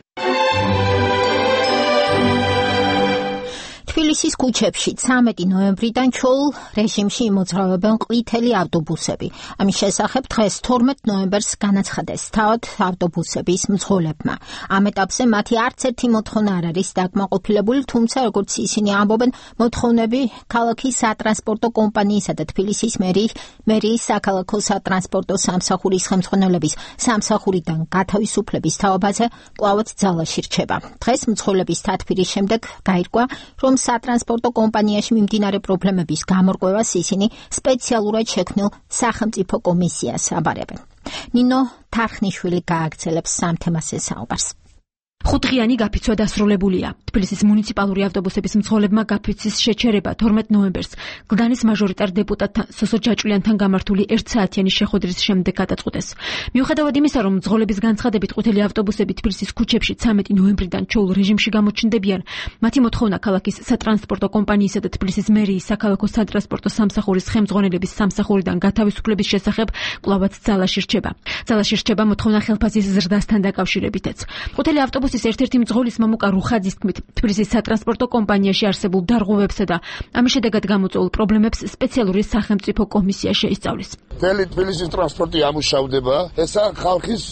თბილისის ქუჩებში 13 ნოემბრიდან ჩოულ რეჟიმში იმოძრავებენ ყვითელი ავტობუსები. ამის შესახებ დღეს 12 ნოემბერს განაცხადეს თავად ავტობუსების მძღოლებმა. ამ ეტაპზე მათი არც ერთი მოთხოვნა არ არის დაკმაყოფილებული, თუმცა როგორც ისინი ამბობენ, მოთხოვნები ქალაქის სატრანსპორტო კომპანიისა და თბილისის მერიის საქალაქო სატრანსპორტო სამსახურის ხელმძღვანელობის სამსახურიდან გათავისუფლების თაობაზე კვლავაც ძალაში რჩება. დღეს მძღოლების დათბირის შემდეგ გაირკვა, რომ სატრანსპორტო კომპანიაში მიმდინარე პრობლემების გამორკვევას ისინი სპეციალურად შექმნილ სახელმწიფო კომისიას აბარებენ. ნინო თარხნიშვილი გააგრძელებს სამ თემაზე საუბარს. 5 დღიანი გაფიცვა დასრულებულია. თბილისის მუნიციპალური ავტობუსების მძღოლებმა გაფიცვის შეჩერება 12 ნოემბერს გლდანის მაჟორიტარ დეპუტატთან სოსო ჯაჭვლიანთან გამართული 1 საათიანი შეხვედრის შემდეგ გადაწყვეტეს. მიუხედავად იმისა, რომ მძღოლების განცხადებით ყვითელი ავტობუსები თბილისის ქუჩებში 13 ნოემბრიდან ჩოულ რეჟიმში გამოჩნდებიან, მათი მოთხოვნა ქალაქის სატრანსპორტო კომპანიისა და თბილისის მერიის საქალაქო სატრანსპორტო სამსახურის ხელმძღვანელების სამსახურიდან გათავისუფლების შესახებ კვლავაც ძალაში რჩება. ძალაში რჩება მოთხოვნა ხელფასის ზრდასთან დაკავშირებითაც. ყვითელი ავტობუსის ერთ-ერთი მძღოლის მამუკა რუხაძის თქმით, თბილისის სატრანსპორტო კომპანიაში არსებულ დარღვევებსა და ამის შედეგად გამოწვეულ პრობლემებს სპეციალური სახელმწიფო კომისია შეისწავლის. თბილისის ტრანსპორტი ამუშავდება, ესა ხალხის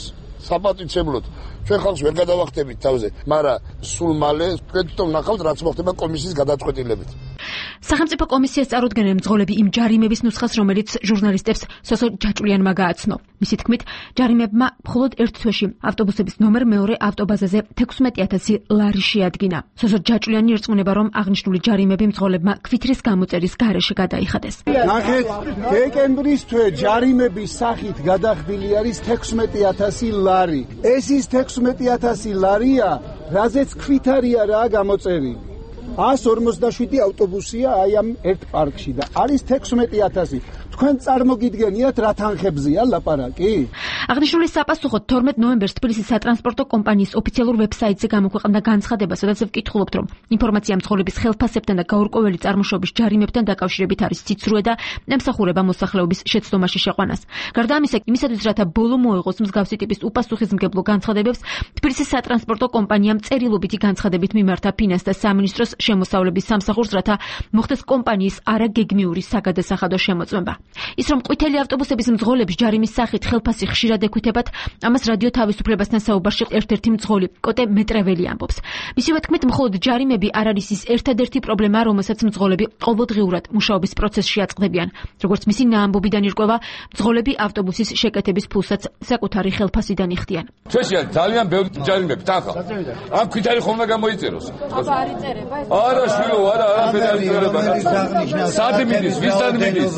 საპატივცემლოდ. ჩვენ ხალხს ვერ გადავახტებით თავზე, მაგრამ სულ მალე თქვენ ნახავთ, რაც მოხდება კომისიის გადაწყვეტილებით. სახელმწიფო კომისიას წარუდგენენ მძღოლები იმ ჯარიმების ნუსხას, რომელიც ჟურნალისტებს სოსო ჯაჭვლიანმა გააცნო. მისი თქმით, ჯარიმებმა მხოლოდ ერთ თვეში ავტობუსების ნომერ მეორე ავტობაზაზე 16000 ლარი შეადგინა. სოსო ჯაჭვლიანი ერწყმუნება, რომ აღნიშნული ჯარიმები მძღოლებმა ქვითრის გამოწერის გარეშე გადაიხადეს. ნახეთ, დეკემბრის თვე ჯარიმების სახით გადახდილი არის 16000 ლარი. ეს ის 16000 ლარია, რაზეც ქვითარია რა გამოწერილი. 157 ავტობუსია აი ამ ერთ პარკში და არის 16000. თქვენ წარმოგიდგენიათ რა თანხებზეა ლაპარაკი? აღნიშნული საპასუხოდ 12 ნოემბერს თბილისის სატრანსპორტო კომპანიის ოფიციალურ ვებსაიტზე გამოქვეყნდა განცხადება, სადაც ვკითხულობთ, რომ ინფორმაცია მძღოლების ხელფასებთან და გაურკვეველი წარმოშობის ჯარიმებთან დაკავშირებით არის ციცრუე და ემსახურება მოსახლეობის შეცდომაში შეყვანას. გარდა ამისა, იმისათვის, რათა ბოლო მოეღოს მსგავსი ტიპის უპასუხისმგებლო განცხადებებს, თბილისის სატრანსპორტო კომპანიამ წერილობითი განცხადებით მიმართა ფინანსთა სამინისტროს შემოსავლების სამსახურს, რათა მოხდეს კომპანიის არაგეგმიური საგადასახადო შემოწმება. ის რომ ყვითელი ავტობუსების მძღოლების ჯარიმის სახით ხელფასი ხშირად ეკუთებათ, ამას რადიო თავისუფლებასთან საუბარში ერთ-ერთი მძღოლი კოტე მეტრეველი ამბობს. მისივე თქმით, მხოლოდ ჯარიმები არ არის ის ერთადერთი პრობლემა, რომელსაც მძღოლები ყოველდღიურად მუშაობის პროცესში აწყდებიან. როგორც მისი ამბობიდან ირკვევა, მძღოლები ავტობუსის შეკეთების ფულსაც საკუთარი ხელფასიდან იხდიან. ჩვენშია ძალიან ბევრი ჯარიმები თანხა. ამ ქვითარი ხომ უნდა გამოიწეროს? აბა არ იწერება ეს. არა შვილო, არაფერი არ იწერება. საათი მიდის, ვისთან მიდის?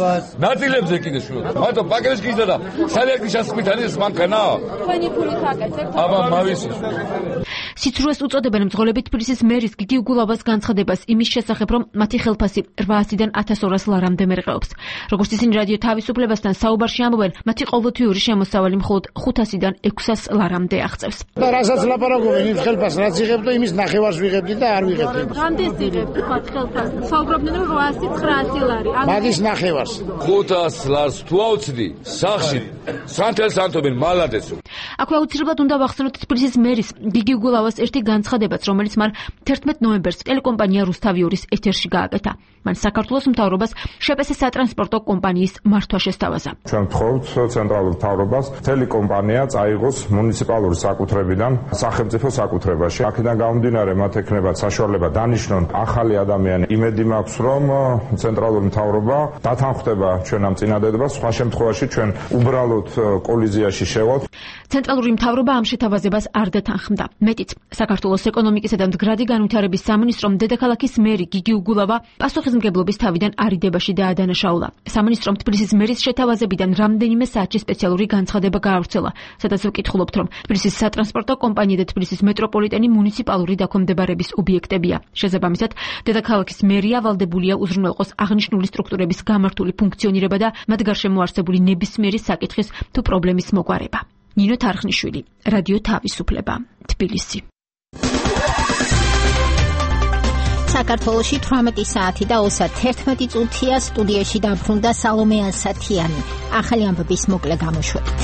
ნაწილებზე კიდე შვილო. მარტო პაკეტს გიზდა და საერთოდ შესაძლებელი არის მანქანა. თქვენი ფულით აკეთებთ. აბა მავისი. სიცრუეს უწოდებენ მძღოლები თბილისის მერის გიგი უგულავას განცხადებას იმის შესახებ, რომ მათი ხელფასი 800-დან 1200 ლარამდე მერყეობს. როგორც ისინი რადიო თავისუფლებასთან საუბარში ამბობენ, მათი ყოველთვიური შემოსავალი მხოლოდ 500-დან 600 ლარამდე აღწევს. და რასაც ლაპარაკობენ იმ ხელფასს, რაც იღებ და იმის ნახევარს ვიღებდი და არ ვიღებდი. რამდენს იღებ თქვა ხელფასს? საუბრობდნენ რომ 800-900 ლარი. მაგის ნახევარს. 500 ლარს თუ აუცდი, სახში სანთელს ანთობენ მალადესო. აქვე აუცილებლად უნდა ვახსენოთ თბილისის მერის გიგი უგულავას ერთი განცხადებაც, რომელიც მან 11 ნოემბერს ტელეკომპანია რუსთავიორის ეთერში გააკეთა. მან საქართველოს მთავრობას შპს სატრანსპორტო კომპანიის მართვა შესთავაზა. ჩვენ ვთხოვთ ცენტრალურ მთავრობას მთელი კომპანია წაიღოს მუნიციპალური საკუთრებიდან სახელმწიფო საკუთრებაში. აქედან გამომდინარე მათ ექნებათ საშუალება დანიშნონ ახალი ადამიანი. იმედი მაქვს, რომ ცენტრალური მთავრობა დათანხმდება ჩვენ ამ წინადადებას, სხვა შემთხვევაში ჩვენ უბრალოდ კოლიზიაში შევავთ. ცენტრალური მთავრობა ამ შეთავაზებას არ დათანხმდა. მეტიც, საქართველოს ეკონომიკისა და მდგრადი განვითარების სამინისტრომ დედაქალაქის მერი გიგი უგულავა პასუხისმგებლობის თავიდან არიდებაში დაადანაშაულა. სამინისტრომ თბილისის მერის შეთავაზებიდან რამდენიმე საათში სპეციალური განცხადება გაავრცელა, სადაც ვკითხულობთ, რომ თბილისის სატრანსპორტო კომპანია და თბილისის მეტროპოლიტენი მუნიციპალური დაქვემდებარების ობიექტებია. შესაბამისად, დედაქალაქის მერია ვალდებულია უზრუნველყოს აღნიშნული სტრუქტურების გამართული ფუნქციონირება და მათ გარშემო არსებული ნებისმიერი საკითხის თუ პრობლემის მოგვარება. ნინო თარხნიშვილი, რადიო თავისუფლება, თბილისი. საქართველოში 18 საათი და 31 წუთია. სტუდიაში დაბრუნდა სალომე ასათიანი. ახალი ამბების მოკლე გამოშვებით.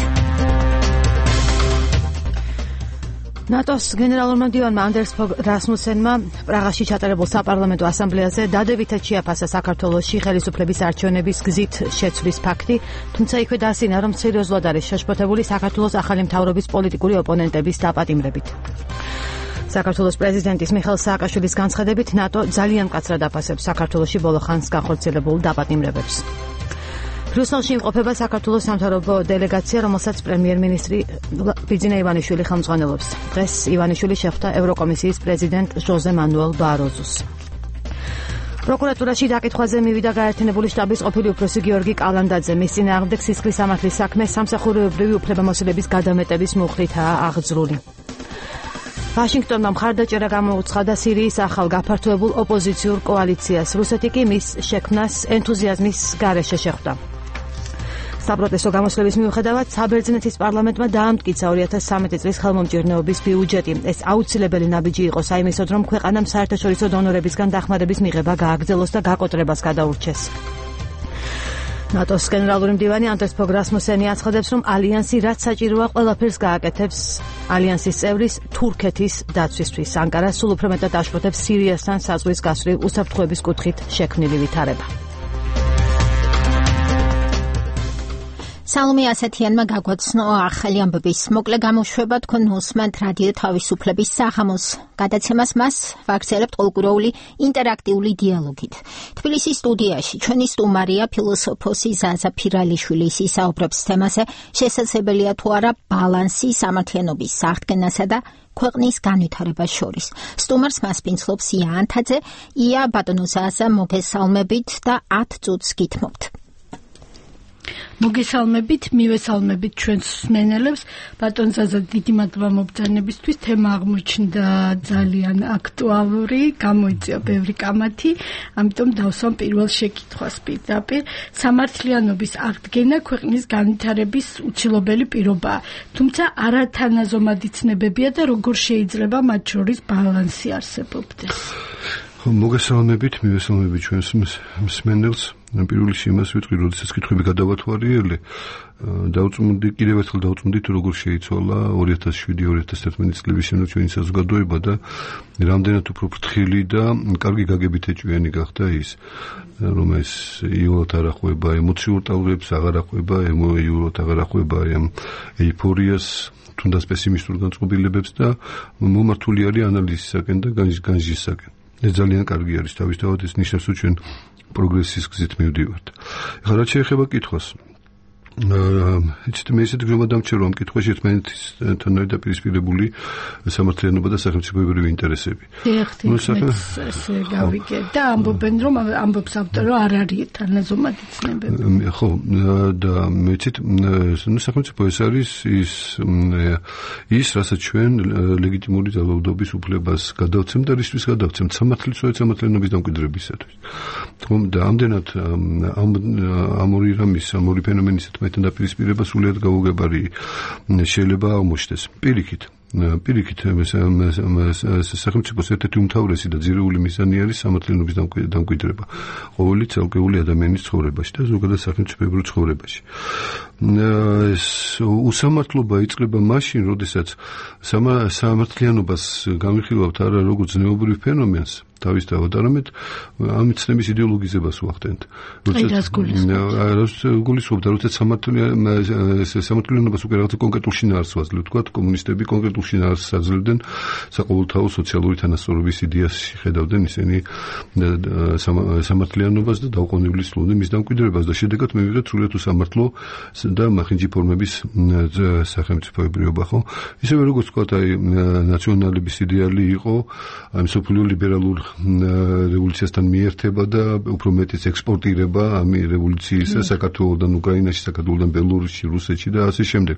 ნატოს გენერალურმა მდივანმა ანდერს ფოგ რასმუსენმა პრაღაში ჩატარებულ საპარლამენტო ასამბლეაზე დადებითად შეაფასა საქართველოში ხელისუფლების არჩევნების გზით შეცვლის ფაქტი, თუმცა იქვე დაასინა, რომ სერიოზულად არის შეშფოთებული საქართველოს ახალი მთავრობის პოლიტიკური ოპონენტების დაპატიმრებით. საქართველოს პრეზიდენტის მიხეილ სააკაშვილის განცხადებით, ნატო ძალიან მკაცრად აფასებს საქართველოში ბოლო ხანს განხორციელებულ დაპატიმრებებს. ბრიუსელში იმყოფება საქართველოს სამთავრობო დელეგაცია, რომელსაც პრემიერ-მინისტრი ბიძინა ივანიშვილი ხელმძღვანელობს. დღეს ივანიშვილი შეხვდა ევროკომისიის პრეზიდენტ ჟოზე მანუელ ბაროზუს. პროკურატურაში დაკითხვაზე მივიდა გაერთიანებული შტაბის ყოფილი უფროსი გიორგი კალანდაძე. მის წინააღმდეგ სისხლის სამართლის საქმე სამსახურეობრივი უფლებამოსილების გადამეტების მუხლითაა აღძრული. ვაშინგტონმა მხარდაჭერა გამოუცხადა სირიის ახალ გაფართოებულ ოპოზიციურ კოალიციას. რუსეთი კი მის შექმნას ენთუზიაზმის გარეშე შეხვდა. საპროტესტო გამოსვლების მიუხედავად საბერძნეთის პარლამენტმა დაამტკიცა 2013 წლის ხელმომჭირნეობის ბიუჯეტი. ეს აუცილებელი ნაბიჯი იყო საიმისოდ, რომ ქვეყანამ საერთაშორისო დონორებისგან დახმარების მიღება გააგრძელოს და გაკოტრებას გადაურჩეს. ნატოს გენერალური მდივანი ანდერს ფოგ რასმუსენი აცხადებს, რომ ალიანსი რაც საჭიროა ყველაფერს გააკეთებს ალიანსის წევრის თურქეთის დაცვისთვის. ანკარა სულ უფრო მეტად აშფოთებს სირიასთან საზღვრის გასვლილ უსაფრთხოების კუთხით შექმნილი ვითარება. სალომე ასათიანმა გაგვაცნო ახალი ამბების მოკლე გამოშვება. თქვენ უსმენთ რადიო თავისუფლების საღამოს გადაცემას. მას ვაგრძელებთ ყოველკვირეული ინტერაქტიული დიალოგით. თბილისის სტუდიაში ჩვენი სტუმარია ფილოსოფოსი ზაზა ფირალიშვილი. ის ისაუბრებს თემაზე, შესაძლებელია თუ არა ბალანსი სამართლიანობის საღდგენასა და ქვეყნის განვითარებას შორის. სტუმარს მასპინძლობს ია ანთაძე. ია, ბატონო ზაზა, მოგესალმებით და 10 წუთს გითმობთ. მოგესალმებით, მივესალმებით ჩვენს მსმენელებს. ბატონ ზაზა, დიდი მადლობა მობრძანებისთვის. თემა აღმოჩნდა ძალიან აქტუალური, გამოიწვია ბევრი კამათი, ამიტომ დავსვამ პირველ შეკითხვას პირდაპირ. სამართლიანობის აღდგენა ქვეყნის განვითარების უცილობელი პირობაა, თუმცა არათანაზომადი ცნებებია და როგორ შეიძლება მათ შორის ბალანსი არსებობდეს. მოგესალმებით, მივესალმებით ჩვენს მსმენელს. პირველი იმას ვიტყვი, როდესაც კითხვები გადავათვალიერე, კიდევ ერთხელ დავწმუნდი თუ როგორ შეიცვალა 2007-2011 წლების შემდეგ ჩვენი საზოგადოება და რამდენად უფრო ფრთხილი და კარგი გაგებით ეჭვიანი გახდა ის, რომ ეს იოლად არ ახვება ემოციურ ტალღებს, აღარ ახვება იოლად აღარ ახვება ეიფორიას, თუნდაც პესიმისტურ განწყობილებებს და მომართული არის ანალიზისაკენ და განსჯისაკენ. ეს ძალიან კარგი არის, თავისთავად ეს ნიშნავს, რომ ჩვენ პროგრესის გზით მივდივართ. ეხლა რაც შეეხება კითხვას, მე ისეთი გრომა დამჩერო ამ კითხვაში ერთმანეთთან დაპირისპირებული სამართლიანობა და სახელმწიფოებრივი ინტერესები. ესე გავიგე და ამბობენ რომ ამბობს ავტორი რომ არ არის თანაზომადი ცნებები. ხო და მეცით სახელმწიფო ეს არის ის რასაც ჩვენ ლეგიტიმური ძალაუფლების უფლებას გადავცემ და რისთვის გადავცემ სამართლიანობის დამკვიდრებისათვის. ხომ და ამდენად ამ ორი რამის ამ ორი ფენომენის მეთან დაპირისპირება სულიად გაუგებარი შეიძლება აღმოჩნდეს. პირიქით სახელმწიფოს ერთ-ერთი უმთავრესი და ძირეული მიზანი არის სამართლიანობის დამკვიდრება ყოველი ცალკეული ადამიანის ცხოვრებაში და ზოგადად სახელმწიფოებრივ ცხოვრებაში. ეს უსამართლობა იწყება მაშინ, როდესაც სამართლიანობას განვიხილავთ არა როგორც ზნეობრივ ფენომენს თავისთავად, არამედ ამ ცნების იდეოლოგიზებას ვახდენთ. გულისხმობდა, როდესაც სამართლიანობას უკვე რაღაცა კონკრეტულ შინაარსს ვაძლევთ, თქვათ, კომუნისტები კონკრეტულ შინაარსს აძლევდნენ საყოველთაო სოციალური თანასწორობის იდეას ხედავდნენ ისინი სამართლიანობას და დაუყოვნებლივ სრულდნენ მის დამკვიდრებას და შედეგად მივიღეთ სრულიად უსამართლო და მახინჯი ფორმების სახელმწიფოებრიობა, ხო? ისევე როგორც თქვათ, ნაციონალების იდეალი იყო აი სოფლიო ლიბერალურ რევოლუციასთან მიერთება და უფრო მეტიც ექსპორტირება ამ რევოლუციისა საქართველოსთან უკრაინაში, საქართველოსთან ბელორუსში, რუსეთში და ასე შემდეგ.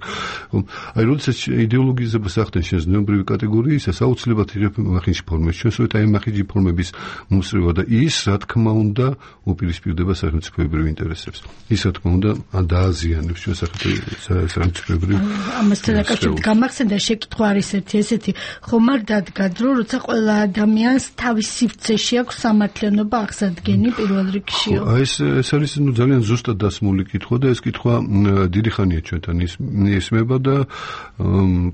აი როდესაც იდეოლოგიზებას ახდენ შენ ზნეობრივი კატეგორიისას, აუცილებლად იღებ მახინჯი ფორმებს. ჩვენ სწორედ აი მახინჯი ფორმების მოსწრება და ის, რა თქმა უნდა, უპირისპირდება სახელმწიფოებრივ ინტერესებს. ის, რა თქმა უნდა, დააზიანებს ჩვენ სახელმწიფოებრივ. ამასთან დაკავშირებით გამახსენდა შეკითხვა არის ესეთი, ხომ არ დადგათ, რომ როცა ყველა ადამიანს თავის სივრცეში აქვს სამართლიანობა აღსადგენი პირველ რიგში. ეს არის ძალიან ზუსტად დასმული კითხვა და ეს კითხვა დიდი ხანია ჩვენთან ისმება და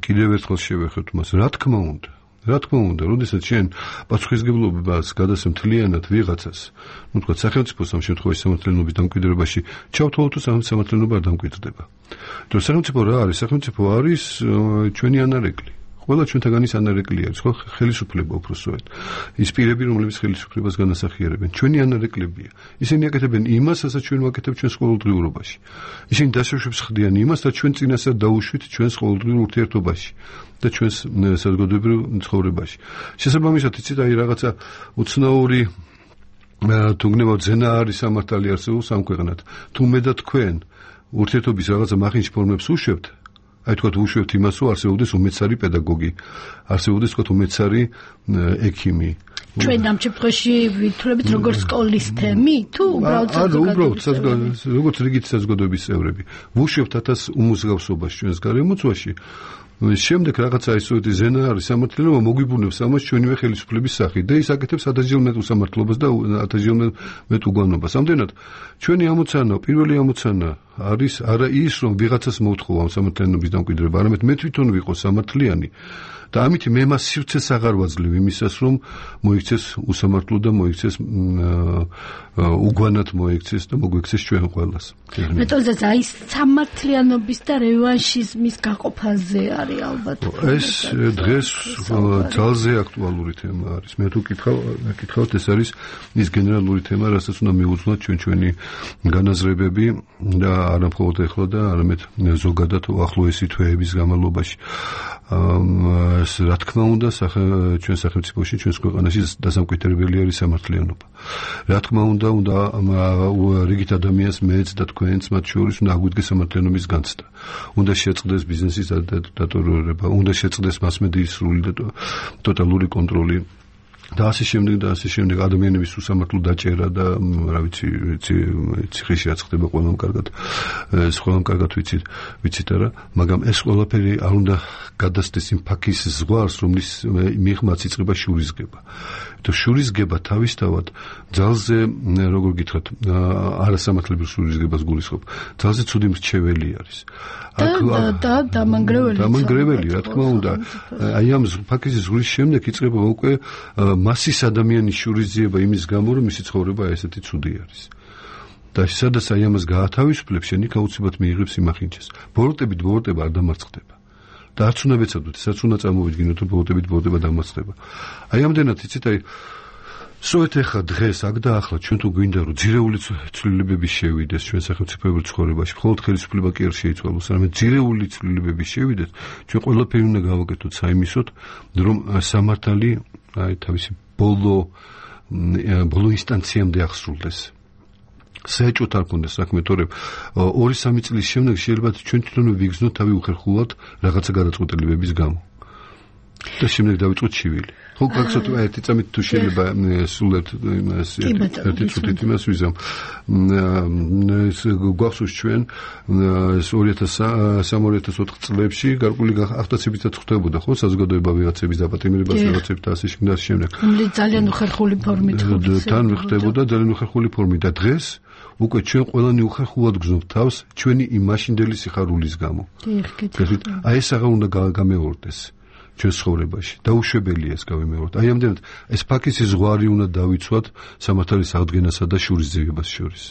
კიდევ ერთხელ შევეხეთ მას. რა თქმა უნდა, როდესაც შენ პასუხისმგებლობას გადასცემ მთლიანად ვიღაცას, თქვა სახელმწიფოს ამ შემთხვევაში სამართლიანობის დამკვიდრებაში, ჩავთვალოთ თუ სამართლიანობა არ დამკვიდრდება. თუ სახელმწიფო რა არის? სახელმწიფო არის ჩვენი ანარეკლი. ყველა ჩვენთაგანის ანარეკლი არის, ხო? ხელისუფლება უბრალოდ. ის პირები, რომლებიც ხელისუფლებას განასახიერებენ, ჩვენი ანარეკლებია. ისინი აკეთებენ იმას, რასაც ჩვენ ვაკეთებ ჩვენს ყოველდღიურობაში. ისინი დასაშვებს ხდიან იმას, რაც ჩვენ წინასწარ დაუშვით ჩვენს ყოველდღიურ ურთიერთობაში და ჩვენს საზოგადოებრივ ცხოვრებაში. შესაბამისად, იცით, აი რაღაცა უცნაური თუ გნებავთ ზენა არის სამართალი არსებობს ამ ქვეყნად. თუ მე და თქვენ ურთიერთობის რაღაცა მახინჯ ფორმებს უშვებთ, აი თქვათ უშვებთ იმას, რომ არსებობდეს უმეცარი პედაგოგი, არსებობდეს თქვათ უმეცარი ექიმი. ჩვენ ამ შემთხვევაში ვითვლებით როგორც სკოლის თემი, თუ უბრალოდ როგორც რიგით საზოგადოების წევრები. ვუშვებთ 1000 უმსგავსობას ჩვენს გარემოცვაში. შემდეგ რაღაცა ისეთი ზენა არის სამართლიანობა მოგვიბუნებს ამას ჩვენივე ხელისუფლების სახით და ის აკეთებს 1000-ჯერ მეტ უსამართლობას და 1000-ჯერ მეტ უგანობას. ამდენად ჩვენი ამოცანა, პირველი ამოცანა არის არა ის, რომ ვიღაცას მოვთხოვ ამ სამართლიანობის დამკვიდრება, არამედ მე თვითონ ვიყო სამართლიანი და ამით მე მას სივრცეს აღარ ვაძლევ იმისას, რომ მოიქცეს უსამართლო და მოიქცეს უგვანად მოიქცეს და მოგვიქცეს ჩვენ ყველას. მეტოზე აი სამართლიანობის და რევანშიზმის გაყოფაზე არის ალბათ. ეს დღეს ძალზე აქტუალური თემა არის. მე თუ კითხავთ, ეს არის ის გენერალური თემა, რასაც უნდა მიუძღვნათ ჩვენი განაზრებები და არა მხოლოდ ეხლა და არამედ ზოგადად ახლოესი თვეების განმავლობაში. რა თქმა უნდა, ჩვენ სახელმწიფოში, ჩვენს ქვეყანაში დასამკვიდრებელი არის სამართლიანობა. რა თქმა უნდა, რიგით ადამიანს მეც და თქვენც მათ შორის უნდა აგვიდგეს სამართლიანობის განცდა. უნდა შეწყდეს ბიზნესის დატორულება, უნდა შეწყდეს მასმედიის სრული და ტოტალური კონტროლი და ასე შემდეგ ადამიანების უსამართლო დაჭერა და რა ვიცი ციხეში რაც ხდება ყველამ კარგად ვიცით არა, მაგრამ ეს ყველაფერი არ უნდა გადასდეს იმ ფაქის ზღვარს, რომლის მიღმაც იწყება შურისგება. და შურისგება თავისთავად ძალზე, როგორ გითხრათ, არასამართლებრივ შურისგებას გულისხმობ. ძალზე ცუდი მრჩეველი არის. და დამანგრეველი, რა თქმა უნდა. აი ამ ფაქის ზღვის შემდეგ იწყება უკვე მასის ადამიანის შურისძიება იმის გამო, რომ მისი ცხოვრება ესეთი ცუდი არის. და სადაც აი ამას გაათავისუფლებს, შენ იქ აუცილებლად მიიღებს იმახინჯეს. ბოროტება არ დამარცხდება. და არც უნდა ვეცადოთ, ესაც უნდა წარმოვიდგინოთ, რომ ბოროტება დამარცხდება. აი ამდენად იცით, აი სოეთ ახლა დღეს აქ და ახლა ჩვენ თუ გვინდა რომ ძირეული ცვლილებები შევიდეს ჩვენ სახელმწიფოებრივ ცხოვრებაში, მხოლოდ ხელისუფლება კი არ შეიცვალოს, არამედ ძირეული ცვლილებები შევიდეს, ჩვენ ყველაფერი უნდა გავაკეთოთ საიმისოდ, რომ სამართალი აი თავისი ბოლო ინსტანციამდე აღსრულდეს. საეჭვოდ არ ქონდეს საქმე, თორემ 2-3 წლის შემდეგ შეიძლება ჩვენ თვითონვე ვიგრძნოთ თავი უხერხულად რაღაცა გადაწყვეტილებების გამო. და შემდეგ დავიწყოთ ჩივილი. ხო, გახსოვთ ერთი წამით თუ შეიძლება სულად ერთი წუთით იმას ვიზამ. გვახსოვს ჩვენ 2003-2004 წლებში გარკვეული აღტაცებითაც ხდებოდა, ხო, საზოგადოება ვიღაცების დაპატიმრებას, ვიღაცების და ასე შემდეგ. ძალიან უხერხული ფორმით თან ხდებოდა ძალიან უხერხული ფორმით და დღეს უკვე ჩვენ ყველანი უხერხულად გრძნობთ თავს ჩვენი იმ მაშინდელი სიხარულის გამო. აი ეს აღარ უნდა გამეორდეს ჩვენ ცხოვრებაში. დაუშვებელია ეს გავიმეოროთ. აი ამდენად ეს ფაქის ზღვარი უნდა დავიცვათ სამართლის აღდგენასა და შურისძიებას შორის.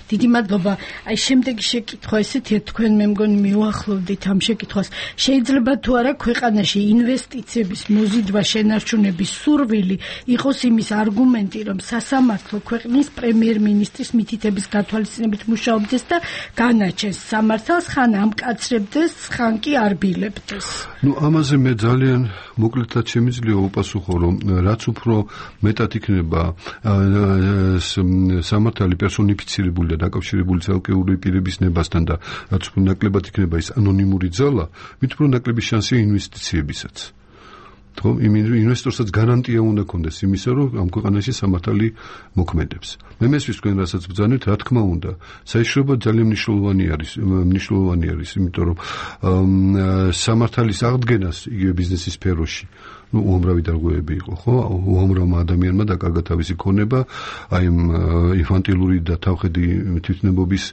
დიდი მადლობა. აი შემდეგი შეკითხვა ესეთია, თქვენ მე მგონი მიუახლოვდით ამ შეკითხვას. შეიძლება თუ არა ქვეყანაში ინვესტიციების მოზიდვა შენარჩუნების სურვილი იყოს იმის არგუმენტი, რომ სასამართლო ქვეყნის პრემიერ-მინისტრის მითითების გათვალისწინებით მუშაობდეს და განაჩენს სამართალს, ხან ამკაცრებდეს, ხან კი არბილებდეს. ამაზე მე ძალიან მოკლედაც შემიძლია უპასუხო, რომ რაც უფრო მეტად იქნება სამართალი პერსონიფიცირებული და დაკავშირებული ცალკეული პირების ნებასთან და რაც უფრო ნაკლებად იქნება ის ანონიმური ძალა, მით უფრო ნაკლები შანსია ინვესტიციებისაც. ხო, ინვესტორსაც გარანტია უნდა ქონდეს იმისა, რომ ამ ქვეყანაში სამართალი მოქმედებს. მე მესმის თქვენ რასაც ბრძანეთ, რა თქმა უნდა, საიშრობა ძალიან მნიშვნელოვანი არის, იმიტომ რომ სამართალის აღდგენას იგივე ბიზნესის სფეროში უამრავი დარღვევები იყო, ხო? უამრავმა ადამიანმა დაკარგა თავისი ქონება, აი ინფანტილური და თავხედი თვითნებობის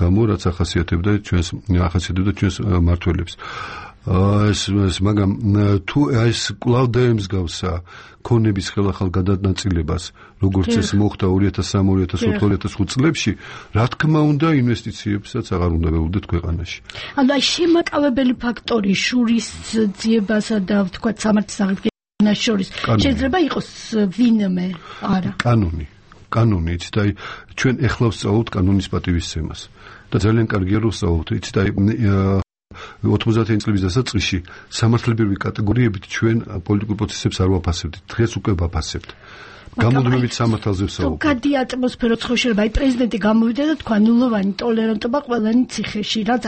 გამო, რაც ახასიათებდა ჩვენს მმართველებს. მაგრამ თუ ეს კვლავ დაემსგავსა ქონების ხელახალ გადანაწილებას, როგორც ეს მოხდა 2003-2004 წლებში, რა თქმა უნდა, ინვესტიციებსაც აღარ უნდა ველოდეთ ქვეყანაში. ანუ აი შემაკავებელი ფაქტორი შურისძიებასა და ვთქვათ სამართლის აღდგენას შორის შეიძლება იყოს ვინმე, არა. კანონი, იცით, აი ჩვენ ეხლა ვსწავლობთ კანონის პატივისცემას და ძალიან კარგია რომ ვსწავლობთ, იცით, აი 90 წლების დასაწყისში სამართლებრივი კატეგორიებით ჩვენ პოლიტიკურ პროცესებს არ ვაფასებდით. დღეს უკვე ვაფასებთ. გამოდმებით სამართალზე ვსაუბრობთ. გადი ატმოსფერო ცხოვრება, აი პრეზიდენტი გამოვიდა და თქვა ნულოვანი ტოლერანტობა ყველანი ციხეში, რაც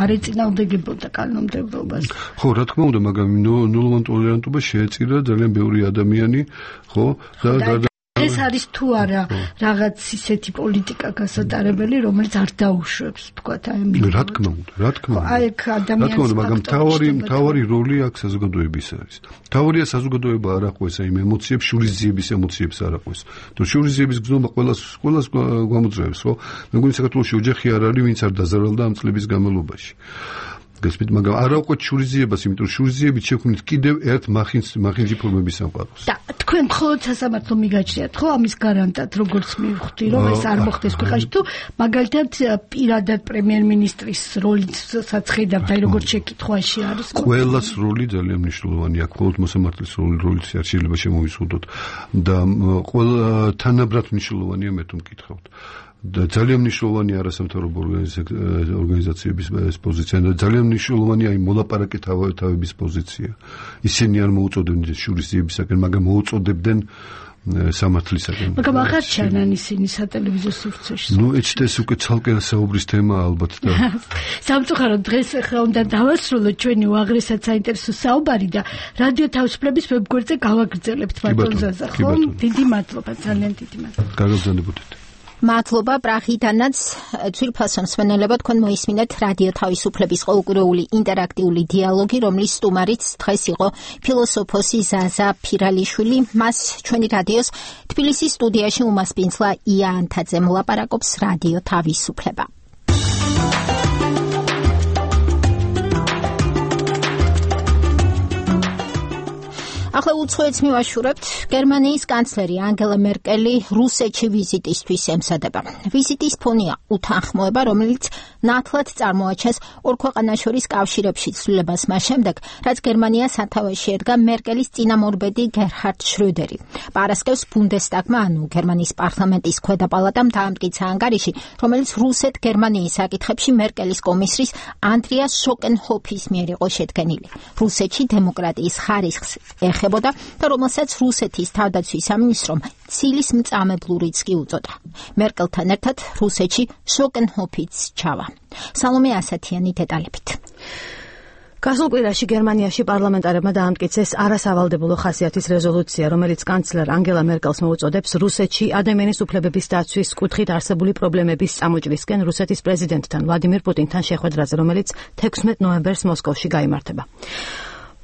არ ეწინააღმდეგებოდა კანონმდებლობას. ხო, რა თქმა უნდა, მაგრამ ნულოვანი ტოლერანტობა შეეწირა ძალიან ბევრი ადამიანი, ხო, და ეს არის თუ არა რაღაც ისეთი პოლიტიკა გასატარებელი, რომელიც არ დაუშვებს, თქვათ, აი რა თქმა უნდა. აი აქ ადამიანის მაგრამ თავარი როლი აქ საზოგადოების არის. თავარია საზოგადოება არ აყვეს აი ემოციებს, შურისძიების ემოციებს არ აყვეს. თუ შურისძიების გზნობა ყველას გამოძრაებს, ხო? მე მგონი საქართველოში ოჯახი არ არის, ვინც არ დაზარალდა ამ წლების განმავლობაში. გასპით, მაგრამ არა უკვე შურისძიებას, იმიტომ რომ შურისძიებით შექმნით კიდევ ერთ მახინჯი ფორმების სამყაროს. და თქვენ მხოლოდ სასამართლო მიგაჩნიათ, ხო, ამის გარანტად, როგორც მივხვდი, რომ ეს არ მოხდეს ქვეყანაში, თუ მაგალითად პირადად პრემიერ-მინისტრის როლისაც ხედავთ, აი როგორც შეკითხვაში არის. ყველას როლი ძალიან მნიშვნელოვანია, მხოლოდ მოსამართლის როლიც არ შეიძლება შემოვიზღუდოთ და ყველა თანაბრად მნიშვნელოვანია, მე თუ მკითხავთ. და ძალიან მნიშვნელოვანი არასამთავრობო ორგანიზაციების პოზიცია და ძალიან მნიშვნელოვანია აი მოლაპარაკე თავების პოზიცია. ისინი არ მოუწოდებდნენ შურისძიებისაკენ, მაგრამ მოუწოდებდნენ სამართლისაკენ. მაგრამ აღარ ჩანან ისინი სატელევიზიო სივრცეში. ეჩდეს უკვე ცალკე საუბრის თემა ალბათ და სამწუხაროდ დღეს ახლა უნდა დავასრულოთ ჩვენი უაღრესად საინტერესო საუბარი და რადიო თავისუფლების ვებგვერდზე გავაგრძელებთ ბატონ ზაზა, ხო? დიდი მადლობა, ძალიან დიდი მადლობა. გაგრძელებოდეთ. მადლობა პრაღიდანაც ძვირფასო მსმენელებო, თქვენ მოისმინეთ რადიო თავისუფლების ყოველკვირეული ინტერაქტიული დიალოგი, რომლის სტუმარიც დღეს იყო ფილოსოფოსი ზაზა ფირალიშვილი. მას ჩვენი რადიოს თბილისის სტუდიაში უმასპინძლა ია ანთაძე მოლაპარაკობს რადიო თავისუფლება. ახლა უცხოეთს მივაშურებთ. გერმანიის კანცლერი ანგელა მერკელი რუსეთში ვიზიტისთვის ემზადება. ვიზიტის ფონია უთანხმოება, რომელიც ნათლად წარმოაჩენს ორ ქვეყანას შორის კავშირებში ცვლილებას მას შემდეგ, რაც გერმანია სათავეში ედგა მერკელის წინამორბედი გერჰარდ შრუდერი. პარასკევს ბუნდესტაგმა, ანუ გერმანიის პარლამენტის ქვედა პალატამ დაამტკიცა ანგარიში, რომელიც რუსეთ-გერმანიის საკითხებში მერკელის კომისრის ანდრიას შოკენჰოფის მიერ იყო შედგენილი. რუსეთში დემოკრატიის ხარისხს ეხებოდა და რომელსაც რუსეთის თავდაცვის სამინისტრომ ცილის მწამებლურიც კი უწოდა. მერკელთან ერთად რუსეთში შოკენჰოფიც ჩავა. სალომე ასათიანი დეტალებით. გასულ კვირაში გერმანიაში პარლამენტარებმა დაამტკიცეს არასავალდებულო ხასიათის რეზოლუცია, რომელიც კანცლერ ანგელა მერკელს მოუწოდებს რუსეთში ადამიანის უფლებების დაცვის კუთხით არსებული პრობლემების წამოჭრისკენ რუსეთის პრეზიდენტთან ვლადიმირ პუტინთან შეხვედრაზე, რომელიც 16 ნოემბერს მოსკოვში გაიმართება.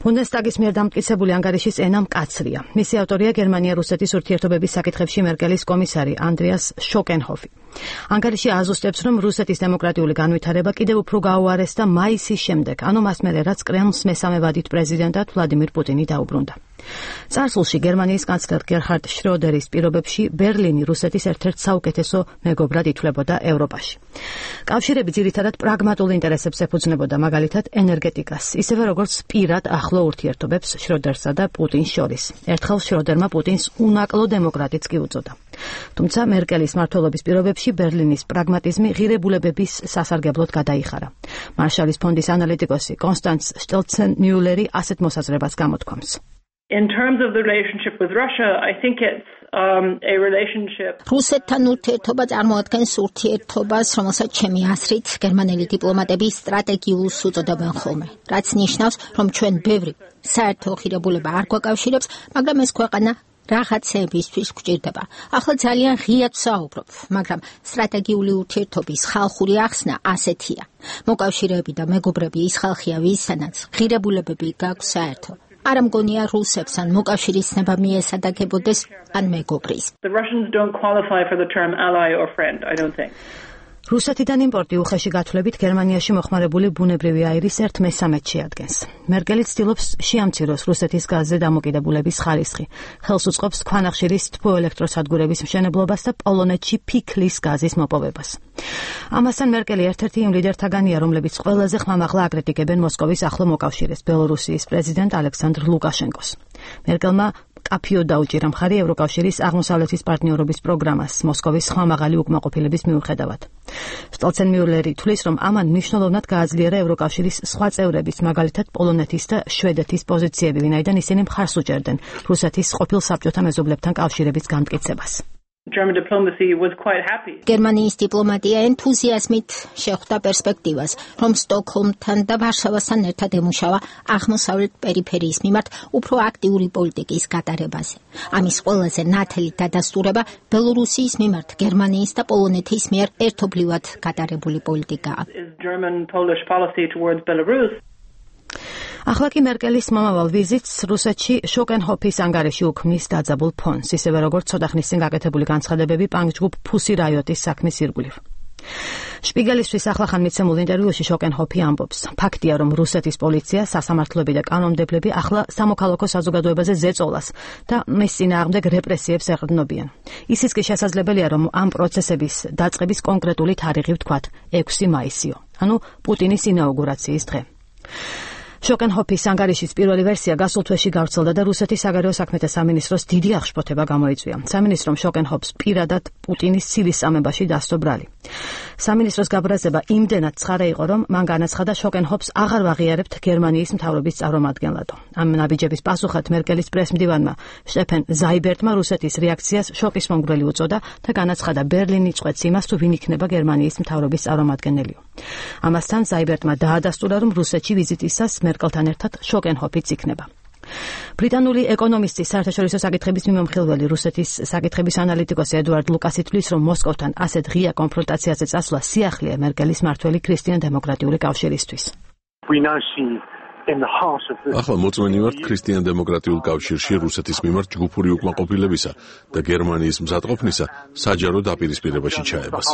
ბუნდესტაგის მიერ დამტკიცებული ანგარიშის ენა მკაცრია. მისი ავტორია გერმანია-რუსეთის ურთიერთობების საკითხებში მერკელის კომისარი ანდრიას შოკენჰოფი. ანგარიში აზუსტებს, რომ რუსეთის დემოკრატიული განვითარება კიდევ უფრო გაუარესდა მაისის შემდეგ, ანუ მას მერე რაც კრემლს მესამე ვადით პრეზიდენტად ვლადიმირ პუტინი დაუბრუნდა. წარსულში გერმანიის კანცლერ გერჰარდ შროდერის პირობებში ბერლინი რუსეთის ერთ-ერთ საუკეთესო მეგობრად ითვლებოდა ევროპაში. კავშირები ძირითადად პრაგმატულ ინტერესებს ეფუძნებოდა, მაგალითად ენერგეტიკას, ისევე როგორც პირად ახლო ურთიერთობებს შროდერსა და პუტინს შორის. ერთხელ შროდერმა პუტინს უნაკლო დემოკრატიც კი უწოდა. თუმცა მერკელის მმართველობის პირობებში ბერლინის პრაგმატიზმი ღირებულებების სასარგებლოდ გადაიხარა. მარშალის ფონდის ანალიტიკოსი კონსტანც შტელცენმიულერი ასეთ მოსაზრებას გამოთქვამს. In terms of the relationship with Russia, I think it's a relationship. რუსეთთან ურთიერთობა წარმოადგენს ურთიერთობას, რომელსაც ჩემი აზრით გერმანელი დიპლომატები სტრატეგიულს უწოდებენ ხოლმე. რაც ნიშნავს, რომ ჩვენ ბევრი საერთო ღირებულება არ გვაკავშირებს, მაგრამ ეს ქვეყანა რაღაცებისთვის გვჭირდება. ახლა ძალიან ღიად ვსაუბრობ, მაგრამ სტრატეგიული ურთიერთობის ხალხური ახსნა ასეთია. მოკავშირეები და მეგობრები ის ხალხია, ვისთანაც ღირებულებები გაქვს საერთო. არ მგონია რუსებს ან მოკავშირის ნება მიესადაგებოდეს ან მეგობრის. The Russians don't qualify for the term ally or friend, I don't think. რუსეთიდან იმპორტი უხეში გათვლებით გერმანიაში მოხმარებული ბუნებრივი აირის 1/13 შეადგენს. მერკელი ცდილობს შეამციროს რუსეთის გაზზე დამოკიდებულების ხარისხი. ხელს უწყობს ქვანახშირის თბოელექტროსადგურების მშენებლობას და პოლონეთში ფიქლის გაზის მოპოვებას. ამასთან მერკელი ერთ-ერთი იმ ლიდერთაგანია, რომლებიც ყველაზე ხმამაღლა აკრიტიკებენ მოსკოვის ახლო მოკავშირეს, ბელორუსიის პრეზიდენტ ალექსანდრ ლუკაშენკოს. მერკელმა კაფიო დაუჭირა მხარი ევროკავშირის აღმოსავლეთის პარტნიორობის პროგრამას მოსკოვის ხმამაღალი უკმაყოფილების მიუხედავად. შტელცენმიულერი თვლის, რომ ამან მნიშვნელოვნად გააძლიერა ევროკავშირის სხვა წევრების, მაგალითად პოლონეთის და შვედეთის პოზიციები, ვინაიდან ისინი მხარს უჭერდნენ რუსეთის ყოფილ საბჭოთა მეზობლებთან კავშირების განმტკიცებას. German diplomacy was quite happy. გერმანიის დიპლომატია ენთუზიაზმით შეხვდა პერსპექტივას, რომ სტოკჰოლმთან და ვარშავასთან ერთად ემუშავა აღმოსავლეთ პერიფერიის მიმართ უფრო აქტიური პოლიტიკის გატარებაზე. ამის ყველაზე ნათელი დადასტურება ბელორუსიის მიმართ გერმანიის და პოლონეთის მიერ ერთობლივად გატარებული პოლიტიკაა. German-Polish policy towards Belarus. ახლა კი მერკელის მომავალ ვიზიტს რუსეთში შოკენჰოფის ანგარიში უქმნის დაძაბულ ფონს, ისევე როგორც ცოტა ხნის წინ გაკეთებული განცხადებები პანკ-ჯგუფ ფუსი რაიოტის საქმის ირგვლივ. შპიგელისთვის ახლახან მიცემულ ინტერვიუში შოკენჰოფი ამბობს, ფაქტია, რომ რუსეთის პოლიცია, სასამართლოები და კანონმდებლები ახლა სამოქალაქო საზოგადოებაზე ზეწოლას და მის წინააღმდეგ რეპრესიებს ეყრდნობიან. ისიც კი შესაძლებელია, რომ ამ პროცესების დაწყების კონკრეტული თარიღი ვთქვათ 6 მაისიო, ანუ პუტინის ინაუგურაციის დღე. შოკენჰოფის ანგარიშის პირველი ვერსია გასულ თვეში გავრცელდა და რუსეთის საგარეო საქმეთა სამინისტროს დიდი აღშფოთება გამოიწვია. სამინისტრომ შოკენჰოფს პირადად პუტინის ცილის წამებაში დასწრო ბრალი. სამინისტროს გაბრაზება იმდენად ცხარე იყო, რომ მან განაცხადა შოკენჰოფს აღარ ვაღიარებთ გერმანიის მთავრობის წარმომადგენლად. ამ ნაბიჯების პასუხად მერკელის პრესმდივანმა შტეფენ ზაიბერტმა რუსეთის რეაქციას შოკის მომგვრელი უწოდა და განაცხადა ბერლინი წვეთს იმას, თუ ვინ იქნება გერმანიის მთავრობის წარმომადგენელი. ამასთან ზაიბერტმა დაადასტურა, რომ რუსეთში ვიზიტისას მერკელთან ერთად შოკენჰოფიც იქნება. ბრიტანული ეკონომისტის საერთაშორისო საკითხების მიმოხილველი რუსეთის საკითხების ანალიტიკოსი ედუარდ ლუკასი თვლის, რომ მოსკოვთან ასეთ ღია კონფრონტაციაზე წასვლა სიახლეა მერკელის მართველი ქრისტიან-დემოკრატიული კავშირისთვის. ახლა მოწმენი ვართ ქრისტიან-დემოკრატიულ კავშირში რუსეთის მიმართ ჯგუფური უკმაყოფილებისა და გერმანიის მზადყოფნისა საჯარო დაპირისპირებაში ჩაებას.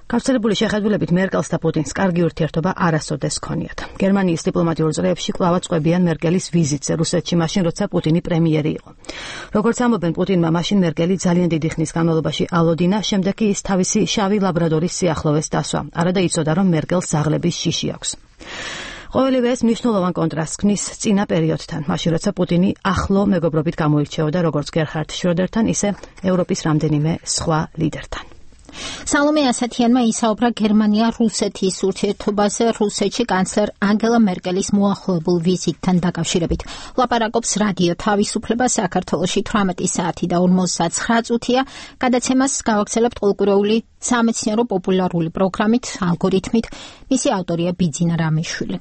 გავრცელებული შეხედულებით მერკელს და პუტინს კარგი ურთიერთობა არასოდეს ჰქონიათ. გერმანიის დიპლომატიურ წრეებში კვლავაც ყვებიან მერკელის ვიზიტზე რუსეთში მაშინ, როცა პუტინი პრემიერი იყო. როგორც ამბობენ, პუტინმა მაშინ მერკელი ძალიან დიდი ხნის განმავლობაში ალოდინა, შემდეგ კი ის თავისი შავი ლაბრადორის სიახლოვეს დასვა. არადა იცოდა, რომ მერკელს ზაღლების შიში აქვს. ყოველივე ეს მნიშვნელოვან კონტრასტს ქმნის წინა პერიოდთან, მაშინ როცა პუტინი ახლო მეგობრობით გამოირჩეოდა როგორც გერჰარდ შროდერთან, ისე ევროპის რამდენიმე სხვა ლიდერთან. სალომე ასათიანმა ისაუბრა გერმანია-რუსეთის ურთიერთობაზე რუსეთში კანცლერ ანგელა მერკელის მოახლოებულ ვიზიტთან დაკავშირებით. ლაპარაკობს რადიო თავისუფლება საქართველოში 18 საათი და 59 წუთია. გადაცემას გავაგრძელებთ ყოლკურეული სამეცნიერო პოპულარული პროგრამით, ალგორითმით. მისი ავტორია ბიძინა რამიშვილი.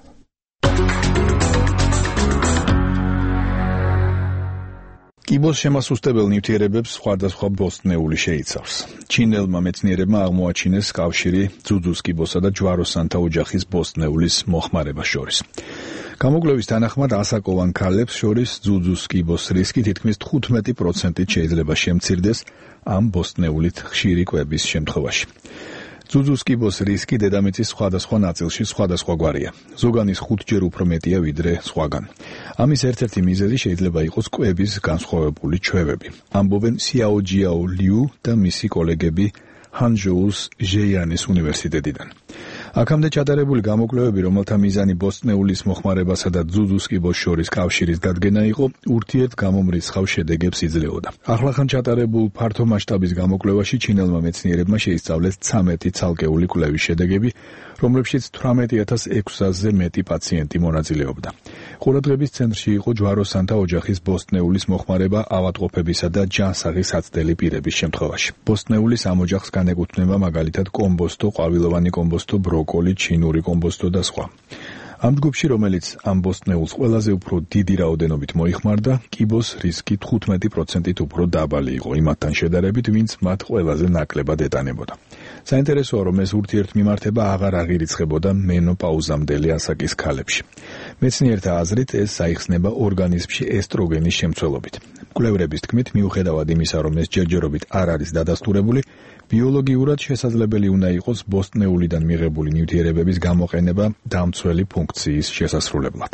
კიბოს შემასუსტებელ ნივთიერებებს სხვადასხვა ბოსტნეული შეიცავს. ჩინელმა მეცნიერებმა აღმოაჩინეს კავშირი ძუძუს კიბოსა და ჯვაროსანთა ოჯახის ბოსტნეულის მოხმარებას შორის. გამოკვლევის თანახმად ასაკოვან ქალებს შორის ძუძუს კიბოს რისკი თითქმის 15%-ით შეიძლება შემცირდეს ამ ბოსტნეულით ხშირი კვების შემთხვევაში. ძუძუს კიბოს რისკი დედამიწის სხვადასხვა ნაწილში სხვადასხვაგვარია. ზოგანის 5-ჯერ უფრო მეტია ვიდრე სხვაგან. ამის ერთ-ერთი მიზეზი შეიძლება იყოს კვების განსხვავებული ჩვევები. ამბობენ სიაოჯიაო ლიუ და მისი კოლეგები ჰანჟოუს ჟეიანის უნივერსიტეტიდან. აქამდე ჩატარებული გამოკვლევები, რომელთა მიზანი ბოსტნეულის მოხმარებასა და ძუძუს კიბოს შორის კავშირის დადგენა იყო, ურთიერთგამომრიცხავ შედეგებს იძლეოდა. ახლახან ჩატარებულ ფართო მასშტაბის გამოკვლევაში ჩინელმა მეცნიერებმა შეისწავლეს 13 ცალკეული კვლევის შედეგები, რომლებშიც 18600-ზე მეტი პაციენტი მონაწილეობდა. ყურადღების ცენტრში იყო ჯვაროსანთა ოჯახის ბოსტნეულის მოხმარება ავადმყოფებისა და ჯანსაღი საცდელი პირების შემთხვევაში. ბოსტნეულის ამ ოჯახს განეკუთვნება მაგალითად კომბოსტო, ყვავილოვანი კომბოსტო, ბროკოლი, ჩინური კომბოსტო და სხვა. ამ ჯგუფში, რომელიც ამ ბოსტნეულს ყველაზე უფრო დიდი რაოდენობით მოიხმარდა, კიბოს რისკი 15%-ით უფრო დაბალი იყო იმათთან შედარებით, ვინც მათ ყველაზე ნაკლებად ეტანებოდა. საინტერესოა, რომ ეს ურთიერთმიმართება აღარ აღირიცხებოდა მენოპაუზამდელი ასაკის ქალებში. მეცნიერთა აზრით, ეს საიხსნება ორგანიზმში ესტროგენის შემცველობით. მკვლევრების თქმით, მიუხედავად იმისა, რომ ეს ჯერჯერობით არ არის დადასტურებული, ბიოლოგიურად შესაძლებელი უნდა იყოს ბოსტნეულიდან მიღებული ნივთიერებების გამოყენება დამცველი ფუნქციის შესასრულებლად.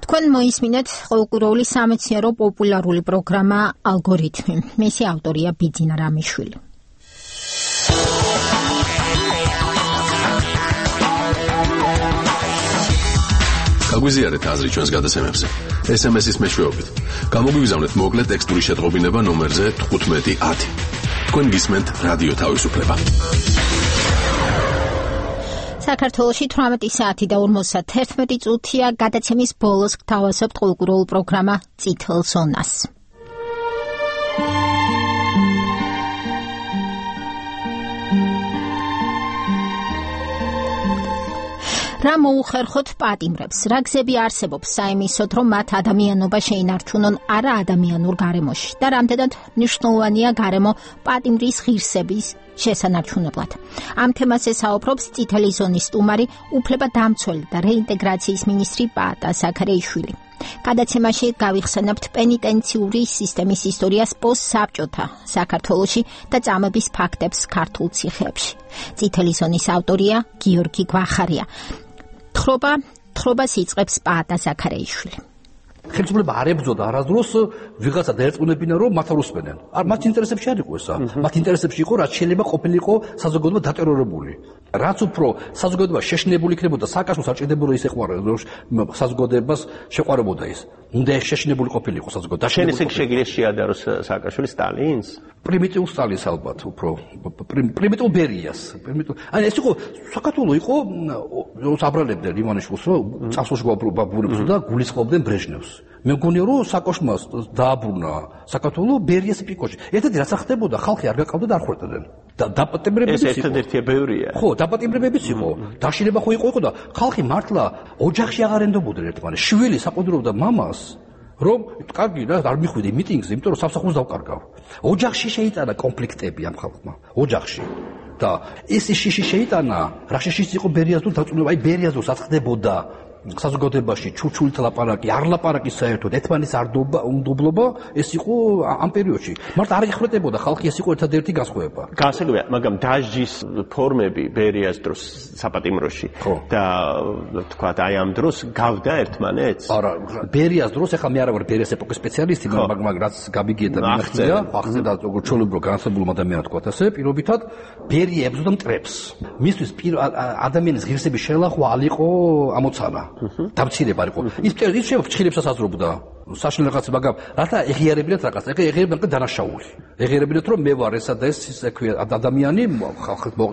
თქვენ მოისმინეთ ყოლკურეული სამეცნიერო პოპულარული პროგრამა ალგორითმი. მისი ავტორია ბიძინა რამიშვილი. გაგვიზიარეთ აზრი ჩვენს გადაცემებზე. SMS-ის მეშვეობით. გამოგვიგზავნეთ მოკლე ტექსტური შეტყობინება ნომერზე 1510. თქვენ გისმენთ რადიო თავისუფლება. საქართველოში 18 საათი და 51 წუთია. გადაცემის ბოლოს გთავაზობთ ყოლკურეულ პროგრამა წითელ ზონას. რა მოუხერხოთ პატიმრებს, რა გზები არსებობს საიმისოდ, რომ მათ ადამიანობა შეინარჩუნონ არა ადამიანურ გარემოში და რამდენად მნიშვნელოვანია გარემო პატიმრის ღირსების შესანარჩუნებლად. ამ თემაზე საუბრობს წითელი ზონის სტუმარი, უფლებადამცველი და რეინტეგრაციის მინისტრი პაატა ზაქარიაშვილი. გადაცემაში გავიხსენებთ პენიტენციური სისტემის ისტორიას პოსტსაბჭოთა საქართველოში და წამების ფაქტებს ქართულ ციხეებში. წითელი ზონის ავტორია გიორგი გვახარია. თხრობას იწყებს პაატა ზაქარიაშვილი. ხელისუფლება არ ებრძოდა არასდროს ვიღაცა დაერწმუნებინა რომ მათ არ უსმენენ. მათ ინტერესებში არ იყო ესა. მათ ინტერესებში იყო რაც შეიძლება ყოფილიყო საზოგადოება დატერორებული. რაც უფრო საზოგადოება შეშინებული იქნებოდა სააკაშვილს არ ჭირდებოდა ის ეყვარებოდა რომ საზოგადოებას შეყვარებოდა ის. უნდა შეშინებული ყოფილიყო საზოგადოება. შენ ისე შეგიძლია შეადაროს სააკაშვილი სტალინს? პრიმიტიულ სტალინს ალბათ უფრო პრიმიტიულ ბერიას. აი ეს იყო საქართველოს იყო აბრალებდნენ ივანიშვილს რომ წასულში გვაბურებსო და გულისხმობდნენ ბრეჟნევს. მე მგონია რომ საკოშმას დააბრუნა საქართველოს ბერიას პიკოში. ერთად რაც ხდებოდა ხალხი არ გაკავდა და არ ხვერდებდნენ. და დაპატიმრებებიც იყო. ეს ერთადერთია ბევრია. ხო, დაპატიმრებებიც იყო. დაშინება ხო იყო და ხალხი მართლა ოჯახში აღარ ენდობოდნენ ერთმანეთს. შვილი საყუდრობდა მამას რომ კარგი რა არ მიხვიდე მიტინგზე, იმიტომ რომ სამსახურს დავკარგავ. ოჯახში შეიტანა კონფლიქტები ამ ხალხმა. ოჯახში. და ეს შიში შეიტანა, რა შიშიც იყო ბერიას თუ დაწუნება, აი ბერიას როცა ხდებოდა საზოგადოებაში ჩურჩულით ლაპარაკი, არ ლაპარაკი საერთოდ, ერთმანეთს არ უნდობლობა, ეს იყო ამ პერიოდში. მართლა არ იხვრეტებოდა ხალხი, ეს იყო ერთადერთი განსხვავება. გასაგებია, მაგრამ დაჟის ფორმები ბერიას დროს საპატიმროში და თქვათ აი ამ დროს გავდა ერთმანეთს? არა, ბერიას დროს ახლა მე არ ვარ ბერიას ეპოქის სპეციალისტი, მაგრამ რაც გაბიგია და მიმახცია, ახსენდა როგორც ჩოლებრო განსხვავებულ ადამიანად თქვათ ასე, პირობითად ბერია ებრძოდა მტრებს. მისთვის ადამიანის ღირსების შელახვა ალიყო ამოცანა. დამცირება იყო. ის შეიძლება ფრჩხილებსაც აზრობდა. საშინელ რაღაცა, მაგრამ რათა ეღიარებინათ რაღაცა, ეღიარებინათ დანაშაული. ეღიარებინათ რომ მე ვარ ესა და ეს ისე ქვია ადამიანი,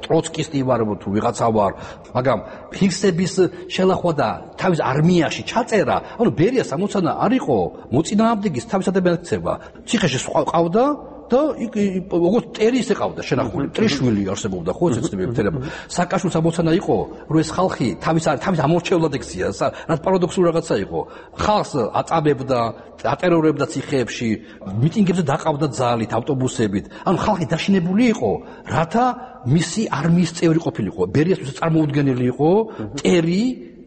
ტროცკისტი ვარ თუ ვიღაცა ვარ, მაგრამ ფიქსების შელახვა და თავის არმიაში ჩაწერა, ანუ ბერიას ამოცანა არ იყო მოწინააღმდეგის თავის ადამიანად ქცევა. ციხეში ყავდა და როგორც ტერი ისე ყავდა შენახული, ტრიშვილი არსებობდა ხო ეს ცნები მთლება. სააკაშვილის ამოცანა იყო, რომ ეს ხალხი თავის ამორჩევლად ექცია, რაც პარადოქსული რაღაცა იყო. ხალხს აწამებდა, ატერორებდა ციხეებში, მიტინგებზე დაყავდა ძალით, ავტობუსებით. ანუ ხალხი დაშინებული იყო, რათა მისი არმიის წევრი ყოფილიყო. ბერიასთვის წარმოუდგენელი იყო ტერი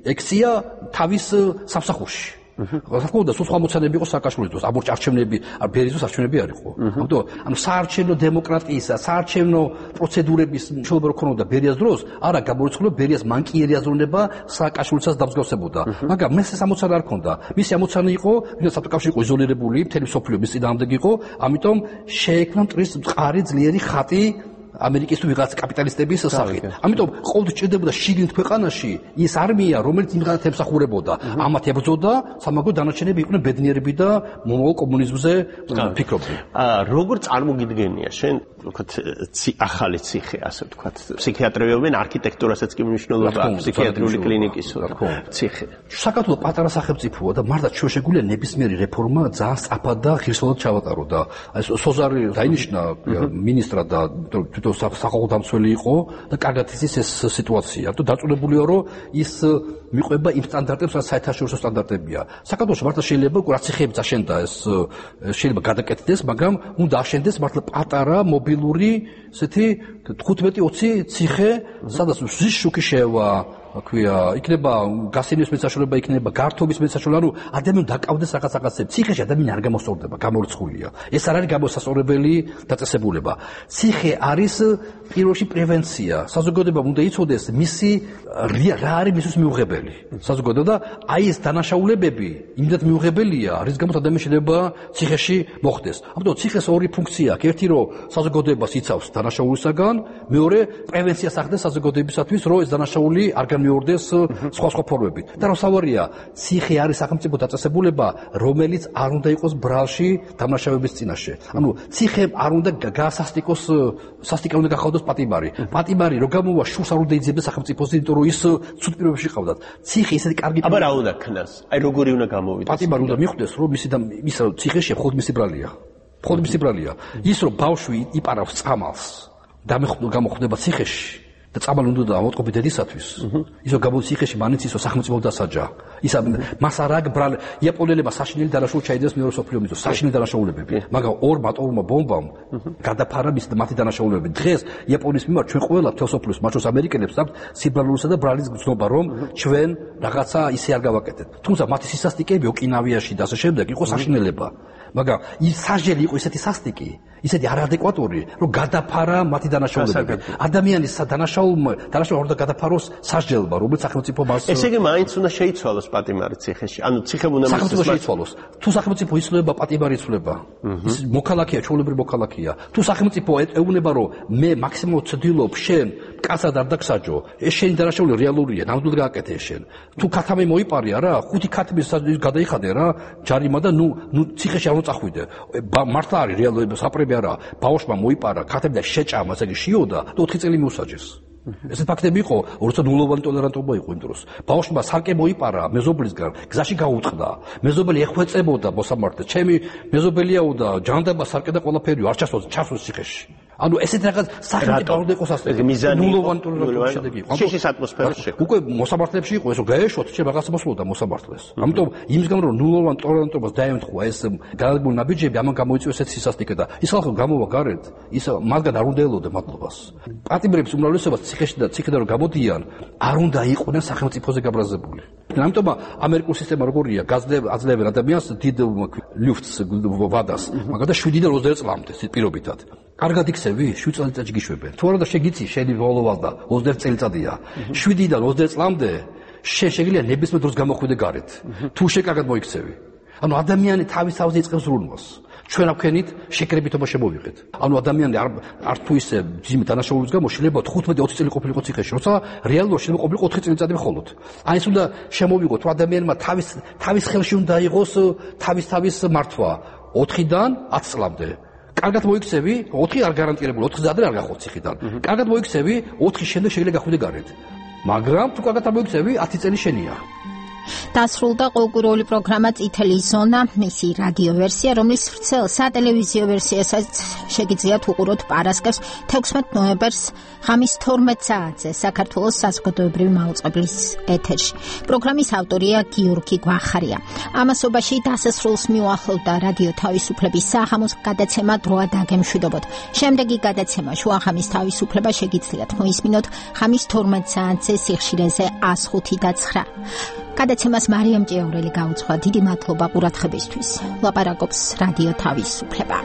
ექცია თავის სამსახურში. რა სხვა მოცანები იყო სააკაშვილის დროს, არჩევნები, ბერის დროს არჩევნები არ იყო. ანუ საარჩევნო დემოკრატიისა, საარჩევნო პროცედურების მშობლები რო ქონოდა ბერიას დროს, არა გამორიცხულება ბერიას მანკიერი აზროვნება სააკაშვილსაც დამსგავსებოდა. მაგრამ მე ეს ამოცანა არ ქონდა. მისი ამოცანა იყო, ვინაც საკავშირი იყო იზოლირებული, მთელი მსოფლიო მის წინააღმდეგ იყო, ამიტომ შეექმნა მტრის მყარი ძლიერი ხატი ამერიკის თუ ვიღაც კაპიტალისტების სახით. ამიტომ ყოველთვის ჭირდებოდა შიგნით ქვეყანაში ის არმია, რომელიც იმღანათ ემსახურებოდა. ამათ ებრძოდა, სამაგრო დანარჩენები იყვნენ ბედნიერები და მომავალ კომუნიზმზე ფიქრობდნენ. როგორ წარმოგიდგენია შენ, ვთქვათ, ახალი ციხე, ასე ვთქვათ, ფსიქიატრებენ არქიტექტურასაც კი მნიშვნელობა აქვს, ფსიქიატრიული კლინიკის ციხე. საქართველოს პატარა სახელმწიფოა და მართლა ჩვენ შეგვიძლია ნებისმიერი რეფორმა ძალიან სწრაფად და ღირსეულად ჩავატარო და აი სოზარი დაინიშნა მინისტრად და სახალხო დამცველი იყო და კარგად იცის ეს სიტუაცია. ამიტომ დაწუნებულია რომ ის მიყვება იმ სტანდარტებს, რაც საერთაშორისო სტანდარტებია. საქართველოში მართლა შეიძლება რაც ციხეები აშენდა ეს შეიძლება გადაკეთდეს, მაგრამ უნდა აშენდეს მართლა პატარა მობილური ესეთი 15-20 ციხე, სადაც ზის შუქი შევა აქვია, იქნება გასენის მეცაშულება, იქნება გართობის მეცაშულება, ანუ ადამიანი დაკავდეს რაღაცებზე. ციხეში ადამიანი არ გამოსწორდება, გამორიცხულია. ეს არ არის გამოსასწორებელი დაწესებულება. ციხე არის პირველში პრევენცია. საზოგადოებამ უნდა იცოდეს მისი რა არის მისთვის მიუღებელი. საზოგადოება და აი ეს დანაშაულებები იმდენად მიუღებელია, რის გამოც ადამიანი შეიძლება ციხეში მოხვდეს. ამიტომ ციხეს ორი ფუნქცია აქვს. ერთი რომ საზოგადოებას იცავს დანაშაულისაგან, მეორე პრევენციას ახდენს საზოგადოებისათვის, რომ ეს დანაშაული არ მიორდეს სხვა ფორმებით. და რა სავარია, ციხე არის სახელმწიფო დაწესებულება, რომელიც არ უნდა იყოს ბრალში დამნაშავების წინაშე. ანუ ციხე არ უნდა გასასტიკოს, სასტიკად უნდა გახავდეს პატიმარი. პატიმარი რო გამოვა, შურს არ უნდა იძებდეს სახელმწიფოზე, იმიტომ რომ ის ცუდ პირობებში ყავდათ. ციხე ისეთი კარგი აბა რა უნდა ქნას? აი როგორი უნდა გამოვიდეს? პატიმარი უნდა მიხვდეს, რომ მის ციხეში ხოდმისი ბრალია. ხოდმისი ბრალია. ის რომ ბავშვი იპარავს წამალს და გამოხდება ციხეში და წამალი უნდა დავატყობი დედისათვის. ისო გამოდის ციხეში მანიც ისო სახელმწიფო დასაჯა. ისა მას არ აქვს ბრალი. იაპონელებმა საშინელი დანაშაული ჩაიდეს მეორე მსოფლიო ომის დროს, საშინელი დანაშაულებები. მაგრამ ორმა ატომურმა ბომბამ გადაფარა მათი დანაშაულებები. დღეს იაპონიის მიმართ ჩვენ ყველა თელსოფლიოს, მათ შორის ამერიკელებს აქვს სიბრალულისა და ბრალის გრძნობა, რომ ჩვენ რაღაცა ისე არ გავაკეთეთ. თუმცა მათი სისასტიკეები ოკინავიაში და ასე შემდეგ იყო საშინელება. მაგრამ ის საჟელი იყო ისეთი სასტიკი, ისეთი არაადეკვატური, რომ გადაფარა მათი დანაშაულებები. ადამიანის დანაშაულმა უნდა გადაფაროს სასჯელმა, რომელიც სახელმწიფო მას ესე იგი მაინც უნდა შეიცვალოს პატიმარი ციხეში. ანუ ციხე უნდა სახელმწიფო შეიცვალოს. თუ სახელმწიფო იცვლება, პატიმარი იცვლება. ის მოქალაქეა, ჩვეულებრივი მოქალაქეა. თუ სახელმწიფო ეუბნება, რომ მე მაქსიმალურად ვცდილობ, შენ კაცად არ დაგსაჯო, ეს შენი დანაშაული რეალურია, ნამდვილად გააკეთე შენ. თუ ქათამი მოიპარე არა, 5 ქათმის გადაიხადე რა, ჯარიმა და ნუ ციხეში არ მოწახვიდე. მართლა არის რეალურად საპრები არა, ბავშვმა მოიპარა ქათამი და შეჭამა, ასე იგი შიოდა და 4 წელი მიუსაჯეს. ესეთ ფაქტები იყო, როცა ნულოვანი ტოლერანტობა იყო იმ დროს. ბავშვმა სარკე მოიპარა მეზობლისგან, გზაში გაუტყდა. მეზობელი ეხვეწებოდა მოსამართლეს. ჩემი მეზობელიაო და ჯანდაბა სარკე და ყველაფერიო არ ჩასვას ციხეში. ანუ ესეთ რაღაც სახელმწიფო უნდა იყოს ასეთი ნულოვანი ტოლერანტობის შედეგი იყო. ციხის ატმოსფეროში. უკვე მოსამართლეებში იყო ესო გაეშოთ, შე რაღაცა მოსულოდა მოსამართლეს. ამიტომ იმის გამო რომ ნულოვანი ტოლერანტობას დაემთხვა ეს განადგურებული ნაბიჯები, ამან გამოიწვია ესეთი სისასტიკე და ის ხალხი გამოვა გარეთ, ის მაგან არ უნდა ელოდე მადლობას. პატიმრების უმრავლესობა ციხე და რომ გამოდიან, არ უნდა იყვნენ სახელმწიფოზე გაბრაზებული. ამიტომ ამერიკული სისტემა როგორია, აძლევენ ადამიანს დიდ ლიფტს ვადას, მაგადა 7-დან 20 წლამდე პირობითად. კარგად იქცევი, 7 წელიწადში გიშვებენ. თუ არა და შეგიცი, შენი ვალდა 20 წელიწადია. 7-დან 20 წლამდე შეგიძლია ნებისმიერ დროს გამოხვიდე გარეთ. თუ შეკარგად მოიქცევი. ანუ ადამიანი თავის იწყებს ზრუნვას. ჩვენ აქვენით შეკრებითობა შემოვიღეთ. ანუ ადამიანი არ თუ ისე ძიმე დანაშაულების გამო შეიძლება 15-20 წელი ყოფილიყო ციხეში, როცა რეალურად შეიძლება ყოფილიყო 4 წელიწადი მხოლოდ. აი ეს უნდა შემოვიღოთ, რომ ადამიანმა თავის ხელში უნდა იყოს თავის მართვა 4-დან 10 წლამდე. კარგად მოიქცევი, 4 არ გარანტირებული, 4 ზადე არ გახვალ ციხიდან. კარგად მოიქცევი, 4 შემდეგ შეიძლება გახვიდე გარეთ. მაგრამ თუ კარგად არ მოიქცევი, 10 წელი შენია. დასრულდა ყოველკვირეული პროგრამა წითელი ზონა, მისი რადიო ვერსია, რომლის ვრცელ სატელევიზიო ვერსიასაც შეგიძლიათ უყუროთ პარასკევს 16 ნოემბერს ღამის 12 საათზე საქართველოს საზოგადოებრივი მაუწყებლის ეთერში. პროგრამის ავტორია გიორგი გვახარია. ამასობაში დასასრულს მიუახლოვდა რადიო თავისუფლების საღამოს გადაცემა დროა დაგემშვიდობოთ. შემდეგი გადაცემა შუახამის თავისუფლება შეგიძლიათ მოისმინოთ ღამის 12 საათზე სიხშირეზე 105 და 9. გადაცემას მარიამ ჭიაურელი გაუძღვა. დიდი მადლობა ყურადღებისთვის. ლაპარაკობს რადიო თავისუფლება.